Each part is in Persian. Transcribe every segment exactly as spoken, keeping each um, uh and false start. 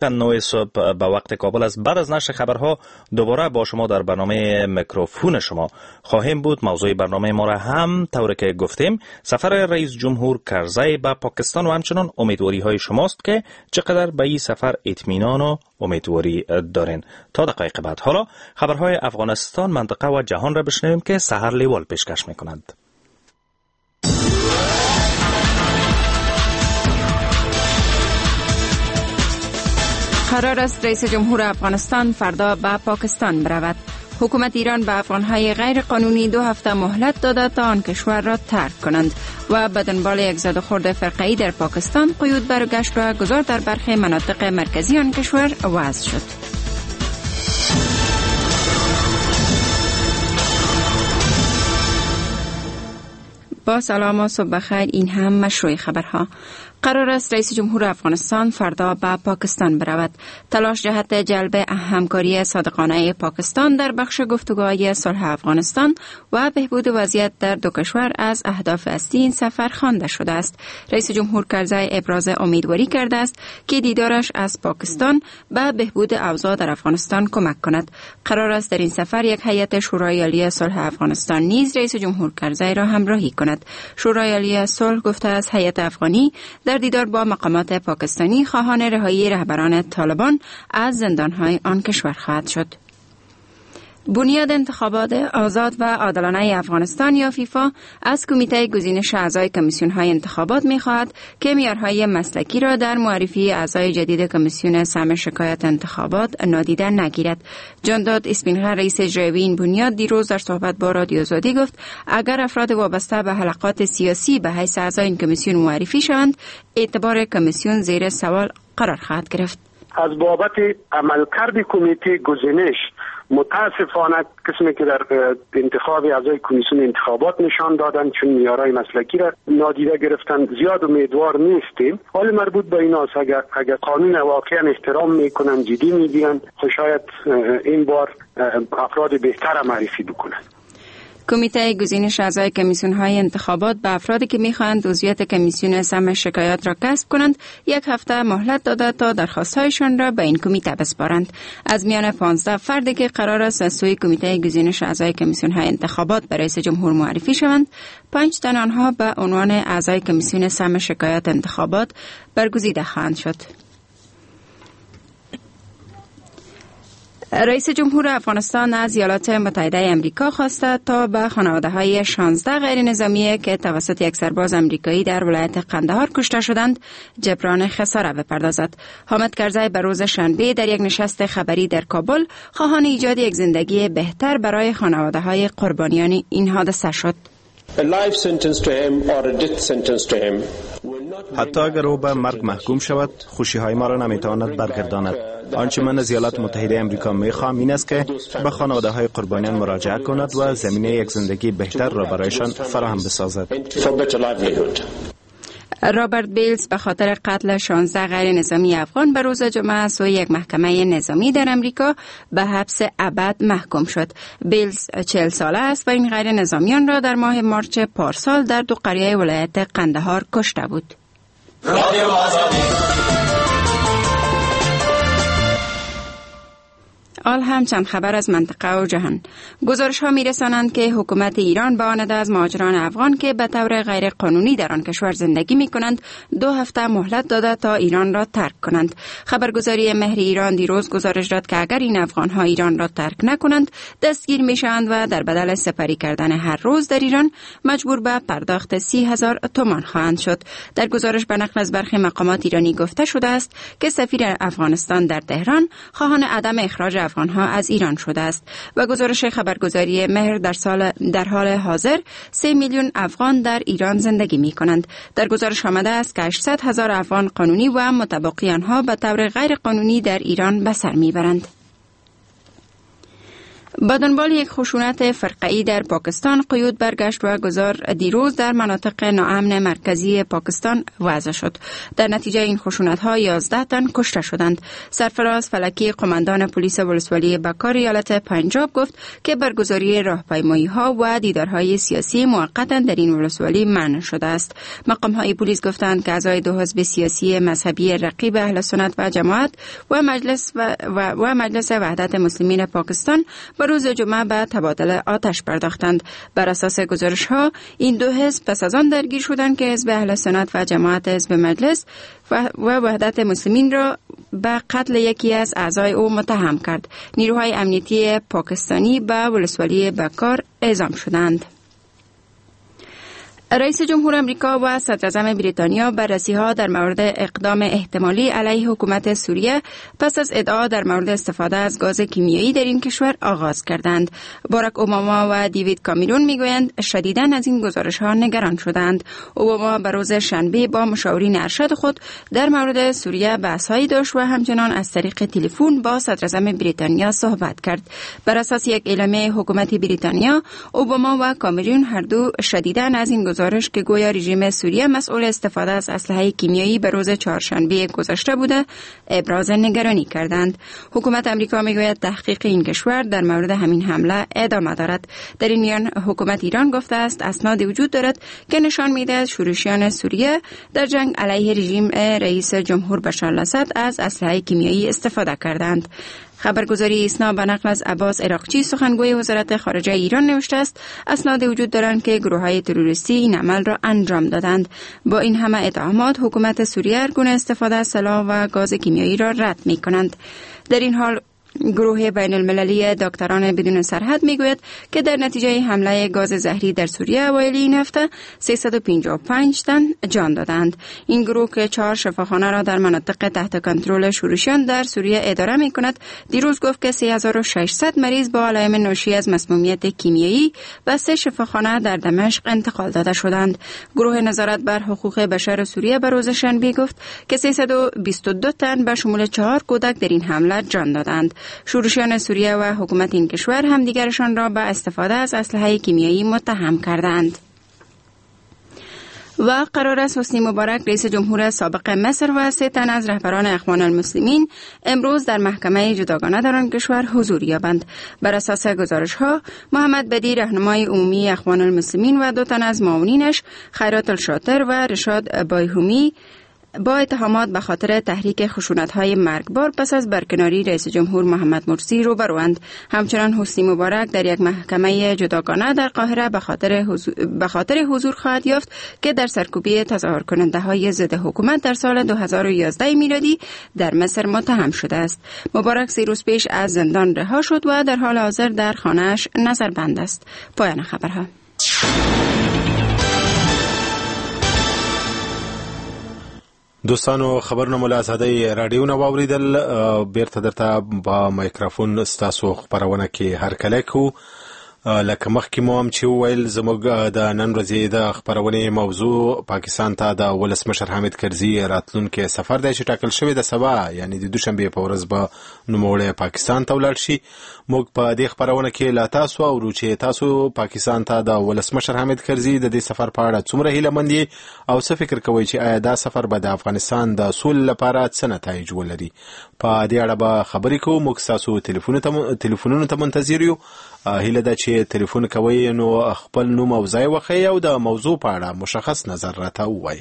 نه صبح به وقت کابل است. بعد از نشر خبرها دوباره با شما در برنامه میکروفون شما خواهیم بود. موضوع برنامه ما را هم طوری که گفتیم سفر رئیس جمهور کرزی به پاکستان و همچنان امیدواری های شماست که چقدر به این سفر اطمینان و امیدواری دارین. تا دقایق بعد حالا خبرهای افغانستان، منطقه و جهان را بشنویم که سحر لیوال پیشکش میکنند. قرار است رئیس جمهور افغانستان فردا به پاکستان برود. حکومت ایران به افغانهای غیر قانونی دو هفته مهلت داده تا آن کشور را ترک کنند و به دنبال یک زد و خورد فرقه‌ای در پاکستان قیود برگشت و گذار در برخی مناطق مرکزی آن کشور وضع شد. با سلام و صبح بخیر، این هم مشروع خبرها. قرار است رئیس جمهور افغانستان فردا به پاکستان برود. تلاش جهت جلب همکاری صادقانه پاکستان در بخش گفتگوهای صلح افغانستان و بهبود وضعیت در دو کشور از اهداف اصلی این سفر خوانده شده است. رئیس جمهور کرزی ابراز امیدواری کرده است که دیدارش از پاکستان به بهبود اوضاع در افغانستان کمک کند. قرار است در این سفر یک هیئت شورای عالی صلح افغانستان نیز رئیس جمهور کرزی را همراهی کند. شورای عالی صلح گفته است هیئت افغانی در دیدار با مقامات پاکستانی خواهان رهایی رهبران طالبان از زندان‌های آن کشور خواهد شد. بنیاد انتخابات آزاد و عادلانه افغانستان یا فیفا از کمیته گزینش اعضای کمیسیون‌های انتخابات می‌خواهد که معیارهای مسلکی را در معرفی اعضای جدید کمیسیون سم شکایت انتخابات نادیده نگیرد. جانداد اسپینغر رئیس اجرایی این بنیاد دیروز در صحبت با رادیو آزادی گفت اگر افراد وابسته به حلقات سیاسی به حیث اعضای این کمیسیون معرفی شوند، اعتبار کمیسیون زیر سوال قرار خواهد گرفت. از بابت عملکرد کمیته گزینش متاسفانه قسمی که در انتخاب اعضای کمیسیون انتخابات نشان دادن، چون معیارهای مسلکی را نادیده گرفتن، زیاد امیدوار نیستیم. حال مربوط به این است اگر اگر قانون واقعا احترام میکنن، جدی میگیرن، شاید این بار افراد بهتر معرفی بکنن. کمیته گزینش اعضای کمیسیون‌های انتخابات به افرادی که می‌خواهند عضویت کمیسیون سم شکایات را کسب کنند یک هفته مهلت داده تا درخواست‌هایشان را به این کمیته بسپارند. از میان پانزده فردی که قرار است از سوی کمیته گزینش اعضای کمیسیون‌های انتخابات به رئیس جمهور معرفی شوند، پنج تن آنها به عنوان اعضای کمیسیون سم شکایات انتخابات برگزیده خواهند شد. رئیس جمهور افغانستان از ایالات متحده امریکا خواسته تا به خانواده‌های شانزده غیر نظامی که توسط یک سرباز امریکایی در ولایت قندهار کشته شدند جبران خساره بپردازد. حامد کرزی به روز شنبه در یک نشست خبری در کابل خواهان ایجاد یک زندگی بهتر برای خانواده‌های قربانیان این حادثه شد. حتی اگر او به مرگ محکوم شود، خوشی‌های ما را نمی‌تواند برگرداند. آنچه من از ایالات متحده امریکا می‌خواهم این است که به خانواده‌های قربانیان مراجعه کند و زمینه یک زندگی بهتر را برایشان فراهم بسازد. رابرت بیلز به خاطر قتل شانزده غیر نظامی افغان به روز جمعه از سوی یک محکمه نظامی در امریکا به حبس ابد محکوم شد. بیلز چهل ساله است و این غیر نظامیان را در ماه مارچ پارسال در دو قریه ولایت قندهار کشته بود. آل هم چند خبر از منطقه و جهان. گزارش ها می رسانند که حکومت ایران به آن از مهاجران افغان که به طور غیر قانونی در آن کشور زندگی می کنند دو هفته مهلت داده تا ایران را ترک کنند. خبرگزاری مهر ایران دیروز گزارش داد که اگر این افغان ها ایران را ترک نکنند دستگیر می شوند و در بدل سپری کردن هر روز در ایران مجبور به پرداخت سی هزار تومان خواهند شد. در گزارش به نقل از برخی مقامات ایرانی گفته شده است که سفیر افغانستان در تهران خواهان عدم اخراج افغانها از ایران شده است. و گزارش خبرگزاری مهر در سال در حال حاضر سه میلیون افغان در ایران زندگی می کنند. در گزارش آمده است که هشتصد هزار افغان قانونی و متباقی آنها به طور غیر قانونی در ایران به سر می برند. با دنبال یک خشونت فرقه‌ای در پاکستان قیود برگشت و گذار دیروز در مناطق ناامن مرکزی پاکستان وضع شد. در نتیجه این خشونت‌ها یازده تن کشته شدند. سرفراز فلکی قماندان پلیس ولسوالی بکار ایالت پنجاب گفت که برگزاری راهپیمایی‌ها و دیدارهای سیاسی موقتاً در این ولسوالی منع شده است. مقام‌های پلیس گفتند که اعضای دو حزب سیاسی مذهبی رقیب اهل سنت و جماعت و مجلس و, و, و مجلس وحدت مسلمین پاکستان روز جمعه به تبادل آتش پرداختند. بر اساس گزارش ها این دو حزب پس از آن درگیر شدند که حزب اهل سنت و جماعت حزب مجلس و وحدت مسلمین را به قتل یکی از اعضای او متهم کرد. نیروهای امنیتی پاکستانی به ولسوالی بکار اعزام شدند. رئیس جمهور امریکا و صدراعظم بریتانیا بررسی‌ها در مورد اقدام احتمالی علیه حکومت سوریه پس از ادعا در مورد استفاده از گاز کیمیایی در این کشور آغاز کردند. باراک اوباما و دیوید کامیرون میگویند شدیداً از این گزارش‌ها نگران شدند. اوباما به روز شنبه با مشاورین ارشد خود در مورد سوریه بحث‌هایی داشت و همچنان از طریق تلفن با صدراعظم بریتانیا صحبت کرد. بر اساس یک اعلامیه حکومت بریتانیا، اوباما و کامیرون هر دو شدیداً از این گزارش که گویا رژیم سوریه مسئول استفاده از اسلحه کیمیایی به روز چهارشنبه گذشته بوده ابراز نگرانی کردند. حکومت امریکا میگوید تحقیق این کشور در مورد همین حمله ادامه دارد. در این میان حکومت ایران گفته است اسنادی وجود دارد که نشان میدهد شورشیان سوریه در جنگ علیه رژیم رئیس جمهور بشار الاسد از اسلحه کیمیایی استفاده کردند. خبرگزاری ایسنا به نقل از عباس عراقچی سخنگوی وزارت خارجه ایران نوشته است اسناد وجود دارند که گروه‌های تروریستی این عمل را انجام دادند. با این همه اتهامات حکومت سوریه هرگونه استفاده از سلاح و گاز کیمیایی را رد می‌کنند. در این حال گروه بین المللی دکتران بدون سرحد میگوید که در نتیجه حمله گاز زهری در سوریه اوایل این هفته سیصد و پنجاه و پنج تن جان دادند. این گروه که چهار شفاخانه را در مناطق تحت کنترل شورشیان در سوریه اداره می کند دیروز گفت که سه هزار و ششصد مریض با علائم ناشی از مسمومیت کیمیایی به سه شفاخانه در دمشق انتقال داده شدند. گروه نظارت بر حقوق بشر سوریه به روز شنبه گفت که سیصد و بیست و دو تن به شمول چهار کودک در این حمله جان دادند. شورشیان سوریه و حکومت این کشور همدیگرشان را به استفاده از اسلحه کیمیایی متهم کردند. و قرار است حسنی مبارک رئیس جمهور سابق مصر و سه تن از رهبران اخوان المسلمین امروز در محکمه جداگانه در آن کشور حضور یابند. بر اساس گزارش ها محمد بدی رهنمای عمومی اخوان المسلمین و دو تن از معاونینش خیرات الشاطر و رشاد بایهومی با اتهامات به خاطر تحریک خشونت‌های مرگبار پس از برکناری رئیس جمهور محمد مرسی روبروند. همچنان حسنی مبارک در یک محکمه جداگانه در قاهره به خاطر حضور, به خاطر حضور خواهد یافت که در سرکوبی تظاهرکننده‌های ضد حکومت در سال دو هزار و یازده میلادی در مصر متهم شده است. مبارک سه روز پیش از زندان رها شد و در حال حاضر در خانه‌اش نظربند است. پایان خبرها. دوستانو خبرونه مو له ازادۍ راډیو نه واورېدل. بیرته درته په مایکروفون ستاسو خپرونه کې هرکلی کوو. لکه مخکې مو هم چې وویل زموږ د نن ورځې د خپرونې موضوع پاکستان ته د ولسمشر حامد کرزي راتلونکی سفر دی چې ټاکل شوې ده سبا یعنی د دوشنبې په ورځ به نوموړی پاکستان ته ولاړ شي. موږ په دې خپرونه کې له تاسو اورو چې تاسو پاکستان ته د ولسمشر حامد کرزي د دې سفر په اړه څومره هیله مند یئ او څه فکر کوئ چې آیا دا سفر به د افغانستان د سولې لپاره څه نتایج ولري. په دې اړه به خبرې کوو. موږ ستاسو تلیفونونو ته منتظر یو. هیله ده چې تلیفون کوئ نو خپل نوم او ځای وښیئ او د موضوع په اړه مشخص نظر راته ووایئ.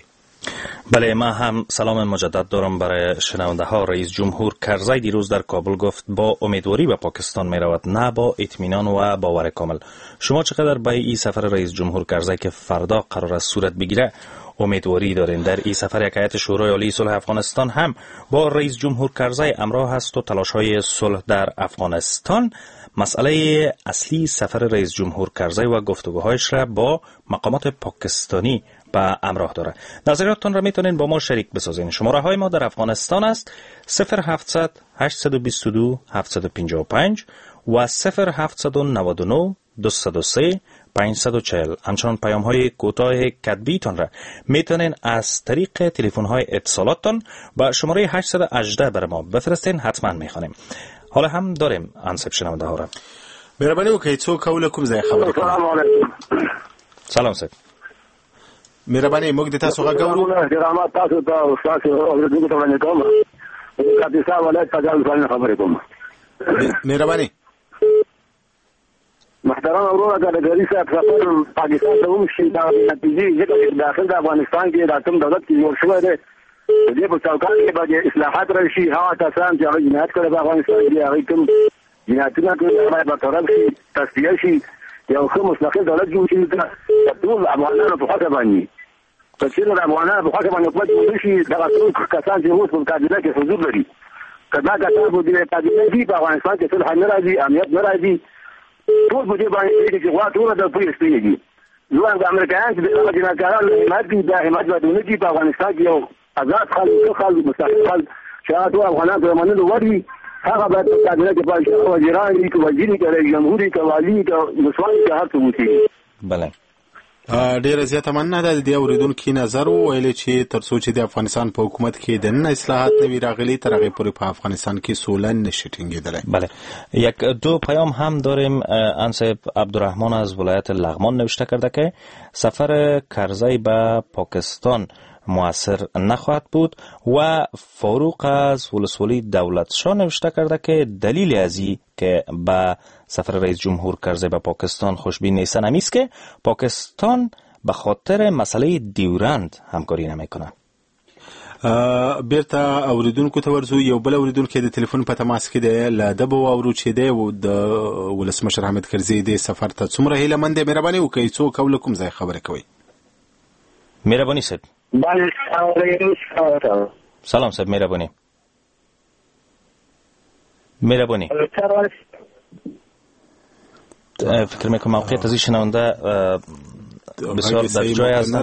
بله، ما هم سلام مجدد دارم برای شنونده ها. رئیس جمهور کرزی دیروز در کابل گفت با امیدواری به پاکستان می رود، نه با اطمینان و باور کامل. شما چقدر به این سفر رئیس جمهور کرزی که فردا قرار است صورت بگیره امیدواری دارین؟ در این سفر یک هیئت شورای عالی صلح افغانستان هم با رئیس جمهور کرزی همراه است و تلاش های صلح در افغانستان. مسئله اصلی سفر رئیس جمهور کرزی و گفتگوهایش را با مقامات پاکستانی به همراه داره. نظریاتتان را میتونین با ما شریک بسازین. شماره های ما در افغانستان است صفر هفتصد هشتصد و بیست و دو هفتصد و پنجاه و پنج و صفر هفتصد و نود و نه دویست و سه پانصد و چهل. همچنان پیام های کوتاه کتبیتان را میتونین از طریق تلفن های اتصالاتتان با شماره هشتصد و هجده بر ما بفرستین، حتما میخوانیم. حالا هم داریم انسب شنونده ها را. مهرباني وکړئ، څوک او له کوم ځای خبرې کوئ؟ السلام علیکم. سلام صاحب. مهرباني، موږ د تاسو غږ اورو. احترامات تاسو ته او ستاسو اورېدونکو ته وړاندې کوم. د کاپیسا ولایت په ځان خبرې کوم. مهرباني. محترم وروره، که د کرزي صاحب سفر پاکستان ته هم شي، دا نتیجې ځکه چې داخل د افغانستان کې دا کوم دولت کې جوړ شوی دی، د دې په چوکاټ کې به اصلاحات راشي. هغه کسان چې هغه جنایت کړی په افغانستان کې، هغوی کوم جنایتونه کړي، هغه باید برطرف شي، تصفیه شي، یو ښه مستقل دولت جوړ شي د ټول افغانانو په خوښه باندې. که چېرې د افغانانو په خوښه باندې حکومت جوړ نه شي، دغه ټول کسان چې اوس په کابینه کې حضور لري، که دا کسان په دې کابینه کې په افغانستان کې صلح نه راځي، امنیت نه راځي، ټول په دې باندې پوهېږي چې غوا ټوله د پوهې سپینې دي. ځوان د امریکایان چې دغه جنایتکاران حمایت کوي، دا حمایت باید ونه کړي. په افغانستان کې یو آزاد خلک، ښه خلک، مستقل خلک چې هغه ټول افغانان ته منلو وړ وي، هغه باید په کابینه کې پاتې شي. هغه وزیران وي، که وزیر وي، که رئیس جمهور وي، که والي وي، که ولسوال وي، که هر څه اوسېږي. بله، ډیره زیاته مننه. د دې اورېدونکي نظر وویل چې تر څو چې د افغانستان په حکومت کې دننه اصلاحات نه وي راغلي، تر هغې پورې په افغانستان کې سوله نشي ټینګېدلی. بله، یک دو پیام هم داریم. انصاحب عبدالرحمن از ولایت لغمان نوشته کرده که سفر کرزی به پاکستان موثر نخواهد بود و فاروق از ولسوالی دولتشاه نوشته کرده که دلیل از این که به سفر رئیس جمهور کرزی به پاکستان خوشبین نیستن همیست که پاکستان به خاطر مسئله دیورند همکاری نمیکنه. بیرته اوریدونکو ته ورځو. یو بل اوریدونکی د تلیفون په تماس کې دی، له ده به واورو چې دی د ولسمشر حامد کرزي د سفر ته څومره هیله مند دی. مهرباني وکړئ، څوک او له کوم ځای خبرې کوئ؟ مهرباني صاحب. سلام صاحب، مهرباني. مهرباني. فکر میکنم موقعیت از این شنونده بسیار در جای هستم.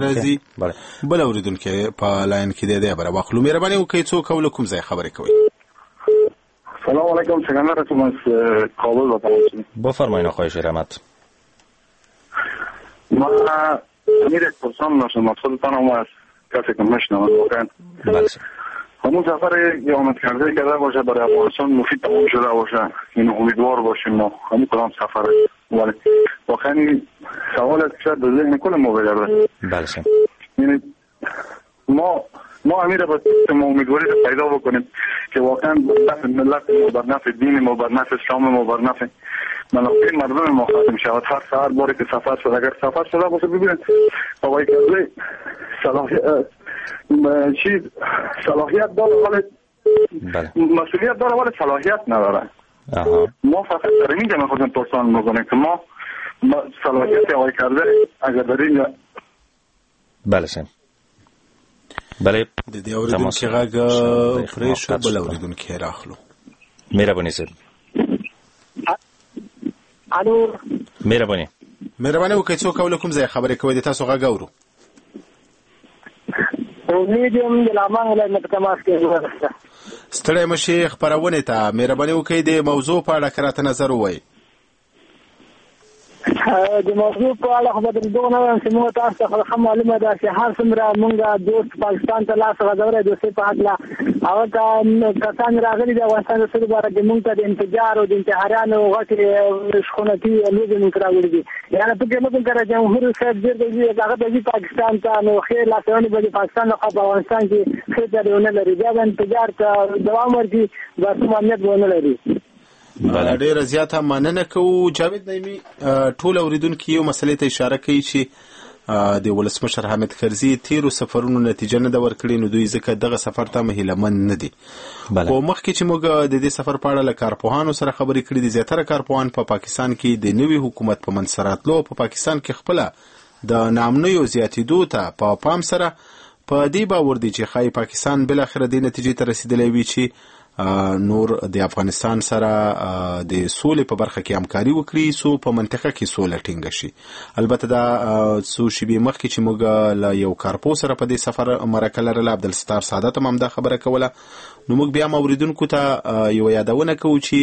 بله، بل اوریدونکی په لاین کې دی، دی به راواخلو. مهرباني وکړئ، څوک او له کوم ځای خبرې کوئ؟ سلام علیکم، سکندر هستم از کابل. بفرمایید آقای شیرحمد. ما امیر پرسان داشتم، مقصودتان از کسی که میشنوم واقعا. بله، همون سفر که آمد کرده کرده باشه برای افغانستان مفید تمام شده باشه، این امیدوار باشیم ما همون کدام سفر. ولی واقعا سوال است که به ذهن کل ما بگرده. بله، یعنی ما ما امیر باید ما امیدواری رو پیدا بکنیم که واقعا بر نفع ملت ما، بر نفع دین ما، بر نفع اسلام ما، بر نفع منافع مردم ما ختم شود. هر سهر باری که سفر شد، اگر سفر شده باشه، ببینید آقای کرزی صلاحیت چیز صلاحیت داره ولی مسئولیت داره ولی صلاحیت نداره. ما فقط در اینجا میخواستیم پرسان بکنیم که ما صلاحیت آقای کرزی اگر در اینجا. بله سیم. بله، د دې اورېدونکي غږ پرې شو، بل اورېدونکی راخلو. مهرباني صاحب. الو، مهرباني. مهرباني وکړئ، څوک او له کوم ځای خبرې کوئ؟ د تاسو غږ اورو. امید یم د لغمان ولایت نه په تماس کې یم. ستړی مه شئ خپرونې ته. مهرباني وکړئ د موضوع په اړه که راته نظر ووایئ. د موضوع په اړه خو به درته دغه وایم چې موږ تاسو ته خو ښه معلومه ده چې هر څومره موږ دوست پاکستان ته لاس غځولی دوستۍ په هکله، هغه کسان راغلي د افغانستان د سولې لپاره چې موږ ته د انفجار او د انتحاریانو غټې شخونتي لوبې موږ ته راوړي دي. یعنې فکر نه کوم که جمهور صاحب ډېر به ځي، هغه به ځي پاکستان ته، نو ښې لاسوهنې به د پاکستان لخوا په افغانستان کې ښې چارې ونه لري، بیا به انفجار ته دوام ورکړي، به کوم امنیت به ونه لري. ډیره زیاته مننه کوو. جاوید نعیمي، ټول اوریدونکي یو مسلې ته اشاره کوي چې د ولسمشر حامد کرزي تیرو سفرونو نتیجه نه ده ورکړې، نو دوی ځکه دغه سفر ته هم هیله مند نه دي. خو مخکې چې موږ د دې سفر په اړه له کارپوهانو سره خبرې کړې دي، زیاتره کارپوهان په پاکستان کې د نوي حکومت په منځ راتلو او په پاکستان کې خپله د ناامنیو زیاتېدو ته په پام سره په دې باور دي چې ښایي پاکستان بالاخره دې نتیجې ته رسېدلی وي چې نور د افغانستان سره د سولې په برخه کې همکاري وکړي، څو په منطقه کې سوله ټینګه شي. البته دا څو شیبې مخکې چې موږ له یو کارپوه سره په دې سفر مرکه لرله، عبدالستار سادات هم همدا خبره کوله. نو موږ بیا هم اورېدونکو ته یوه یادونه کوو چې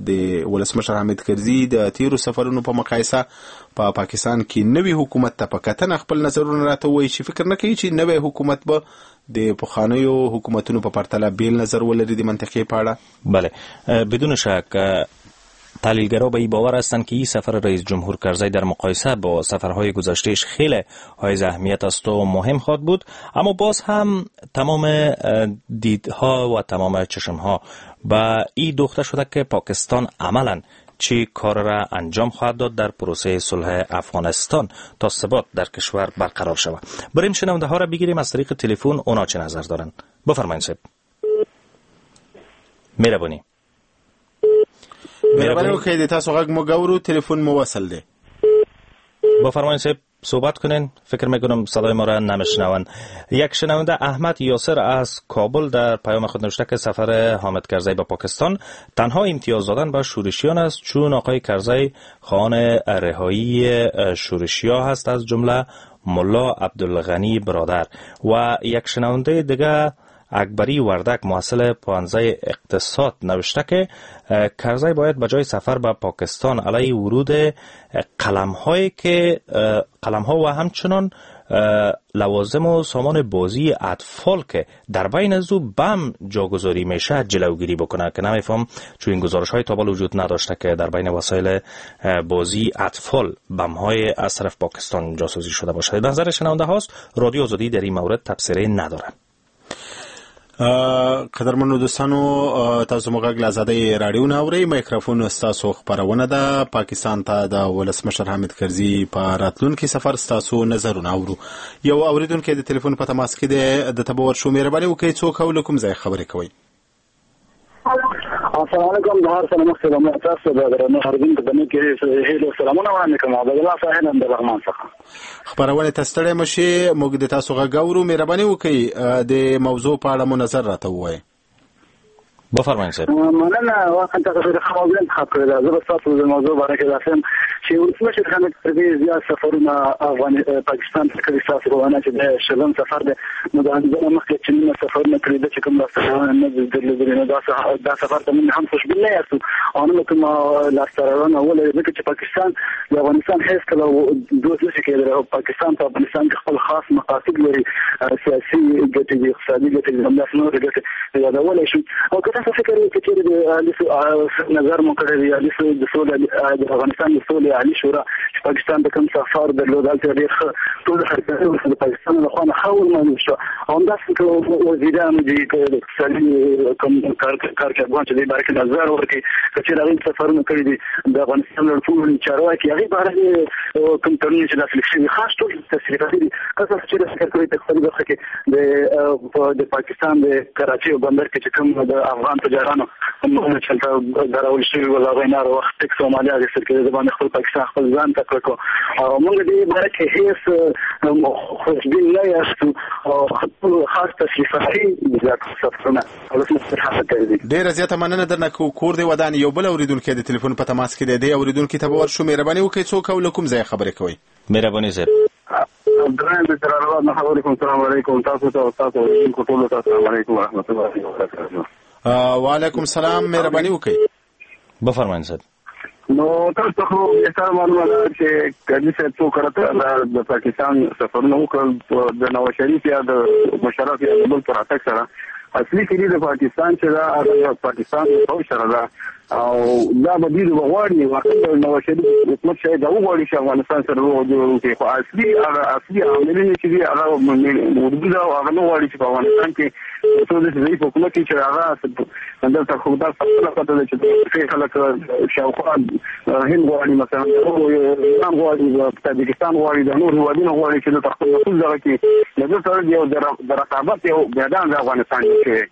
د ولسمشر حامد کرزي د تیرو سفرونو په مقایسه په پاکستان کې نوي حکومت ته په کتنه خپل نظرونه راته ووایي چې فکر نه کوي چې نوی حکومت به د پخوانیو حکومتونو په پرتله بیل نظر ولري د منطقې په اړه. بله، بدون شک تحلیلگرا به این باور هستند که این سفر رئیس جمهور کرزی در مقایسه با سفرهای گذشتهش خیلی حائز اهمیت است و مهم خواهد بود، اما باز هم تمام دیدها و تمام چشمها به این دوخته شده که پاکستان عملاً چی کار را انجام خواهد داد در پروسه صلح افغانستان تا ثبات در کشور برقرار شود. بریم شنونده ها را بگیریم از طریق تلفن، اونا چه نظر دارن. بفرمایید صاحب. مهربانی مهرباني وکړئ، د تاسو غږ موږ اورو، تلفن مو وصل دی. بفرمایید صاحب صحبت کنین. فکر میکنم صدای ما را نمیشنوند. یک شنونده احمد یاسر از کابل در پیام خود نوشته که سفر حامد کرزی به پاکستان تنها امتیاز دادن به شورشیان است، چون آقای کرزی خواهان رهایی شورشیا هست، از جمله ملا عبدالغنی برادر. و یک شنونده دیگه اکبری وردک محصل پانزه اقتصاد نوشته که کرزی باید به جای سفر به پاکستان علیه ورود قلم‌هایی که قلم‌ها و همچنان لوازم و سامان بازی اطفال که در بین از او بم جاگذاری میشه جلوگیری بکنه، که نمیفهم چون این گزارش های تا وجود نداشته که در بین وسایل بازی اطفال بم های از طرف پاکستان جاسوسی شده باشه. نظر شنونده هاست. رادیو آزادی در این مورد تبصره نداره. قدرمنو دوستانو، تاسو مو غږ له ازادۍ راډیو نه اورئ. مایکروفون ستاسو خپرونه ده. پاکستان ته د ولسمشر حامد کرزي په راتلونکي سفر ستاسو نظرونه اورو. یو اورېدونکی د تلیفون په تماس کې دی، د ته به ورشو. مهرباني وکړئ، څوک او له کوم ځای خبرې کوئ؟ السلام علیکم. د هر څه مخکې لومړی تاسو د درنو اورېدونکو د نیکې هیلو سلامونه وړاندې کوم. عبدالله ساحل یم د لغمان څخه. خپرونې ته ستړی مه شئ، موږ د تاسو غږ اورو. مهرباني وکړئ د موضوع په اړه مو نظر راته ووایئ. بفرمایئ صاحب. مننه، واقعا تاسو ډېره ښه موضوع انتخاب کړې ده. زه به ستاسو د موضوع باره کې داسې یم چې ولسمشر حامد کرزي زیات سفرونه افغان پاکستان ته کړي. ستاسو په وینا چې د شلم سفر دی، نو د همدغه مخکې چې نیمه سفرونه کړي ده چې کوم لاسته راوړنه نه دي درلودلې، نو دا دا سفر ته موږ هم خوشبین نه یاستو او نه کومه لاسته راوړنه ولري، ځکه چې پاکستان د افغانستان هېڅکله دوست نه شي کېدلی. پاکستان په افغانستان کې خپل خاص مقاصد لري، سیاسي ګټې دي، اقتصادي ګټې دي، همداسې نورې ګټې یادولی شو. او که تاسو فکر وکړئ چې د نظر مو کړی دی، عالي د سولې د افغانستان د سولې عالي شورا چې پاکستان ته کوم سفر درلود، هلته ډېر ښه ټول هرکلی وشو، د پاکستان له خوا نه ښه ومنل شو. او همداسې که وزیرانو دي، که د اقتصادي کوم کارکردګان چې دې باره کې نظر ورکړي، که چېرې هغوی سفرونه کړي دي، د افغانستان لوړپوړي چارواکي هغې باره کې کوم تړونونه چې لاسلیک شوي، خاص ټول تصریحاتي دي. که تاسو چېرې فکر کوئ په اقتصادي برخه کې د پاکستان د کراچۍ بندر کې چې کوم د افغان تجارانو چې هلته درول شوي ول، هغوی نه هر وخت ټکس او مالیه اخیستل کېده، د باندې خپل پاکستان خپل ځان ته کړو. او موږ دې باره کې هېڅ خوشبین نه یاستو او خپل خاص تشریفاتي زیات سفرونه ولسمشر حامد کرزي. ډېره زیاته مننه درنه کوو. کور دې ودان. یو بل اورېدونکی د تلیفون په تماس کې دی، دې اورېدونکي ته به ورشو. مهرباني وکړئ، څوک او له کوم ځایه خبرې کوئ؟ مهرباني صاحب. عبدالرحیم د جلال آباد نه خبرې کوم. السلام علیکم تاسو ته او تاسو اورېدونکو ټولو ته. السلام علیکم ورحمت الله وبرکاته. وعلیکم السلام. مهرباني وکړئ. بفرمایئ صاحب. نو تاسو خو بهتره معلومه ده چې کرزي صاحب څو کرته د پاکستان سفرونه وکړل، د نواز شریف یا د مشرف یا د بل پر راتګ سره. اصلي کلي د پاکستان چې ده، هغه پاکستان د پوځ سره ده، او دا به دوی وغواړي. واقعا نواز شریف حکومت شاید دا وغواړي چې افغانستان سره روغه جوړه وکړي، خو اصلي هغه اصلي عاملین چې دي هغه اردو ده، او هغه نه غواړي چې په افغانستان کې څو داسې ضعیف حکومت وي چې هغه دلته خو دا خپله پته ده چې خلک شاوخوا هند غواړي، مثلا ایران غواړي، تاجکستان غواړي، د نور هېوادونه غواړي چې دلته خپل نفوذ دغه کړي. له دې سره یو د رقابت یو میدان د افغانستان کې شوی.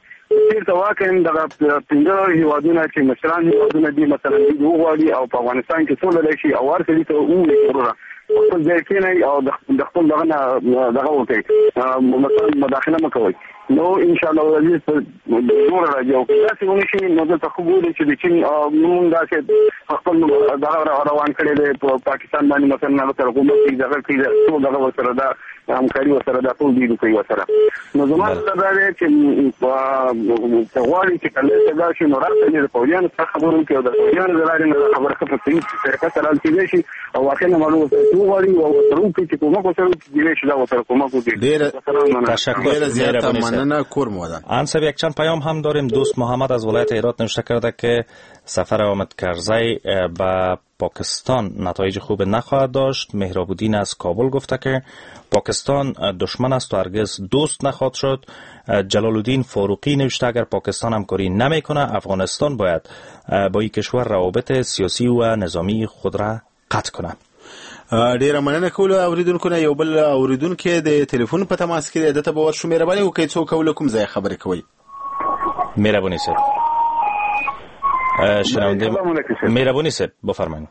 چېرته واقعا دغه پنځه هېوادونه چې مشران هېوادونه دي، مثلا دوی وغواړي او په افغانستان کې سوله راشي او هر سړي ته ووایي وروره خپل ځای کښېنئ او د خپل دغه نه دغه وکړئ، مثلا مداخله مه کوئ، نو انشاءالله العزیز زور راځي. او که داسې ونه شي نو دلته ښه ګوري چې د چین موږ داسې خپل دغه روان کړی دی په پاکستان باندې، مثلا هغه سره حکومت کوي، دغه کوي، ټول دغه ورسره دا همکاري ورسره دا ټول دوی کوي ورسره. نو زما دا دی چې که غواړي چې کله دا شي نو راته د پوځیانو سره خبرې وکړي او د پوځیانو د لارې نه خبره ښه په صحیح طریقه سره حل کېدای شي او واقعا معلومه ورسره وغواړي او ورسره وکړي چې کومک ورسره کېدای شي دا ورسره کومک وکړي. تشکر، زیاته مننه، کور مو ودان. انصب یک چند پیام هم داریم. دوست محمد از ولایت هرات نوشته کرده که سفر حامد کرزی به پاکستان نتایج خوب نخواهد داشت. مهرابودین از کابل گفته که پاکستان دشمن است و هرگز دوست نخواهد شد. جلال الدین فاروقی نوشته اگر پاکستان همکاری نمیکنه افغانستان باید با این کشور روابط سیاسی و نظامی خود را قطع کنه. ډیره مننه کولو اوریدونکو نه. یو بل اوریدونکی د تلیفون په تماس کې دی، ده ته به ورشو. مهرباني وکړئ، څوک او له کوم ځایه خبرې کوئ؟ مهرباني صاحب. شنونده مهرباني صاحب بفرمایید.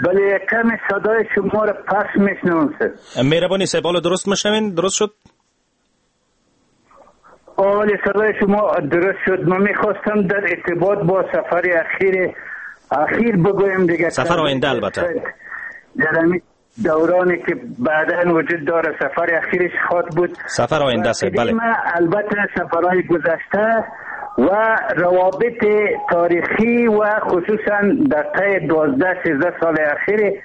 بله، کمی صدای شما را پس میشنوم صاحب. مهرباني صاحب، حالا درست میشنوین؟ درست شد؟ آله، صدای شما درست شد. من میخواستم در ارتباط با سفر اخیر اخیر بگویم دیگه، سفر آینده البته در همین دورانی که بعداً وجود داره سفر اخیرش خواد بود، سفر آینده است. بله، البته سفرهای گذشته و روابط تاریخی و خصوصا در طی دوازده سیزده سال اخیر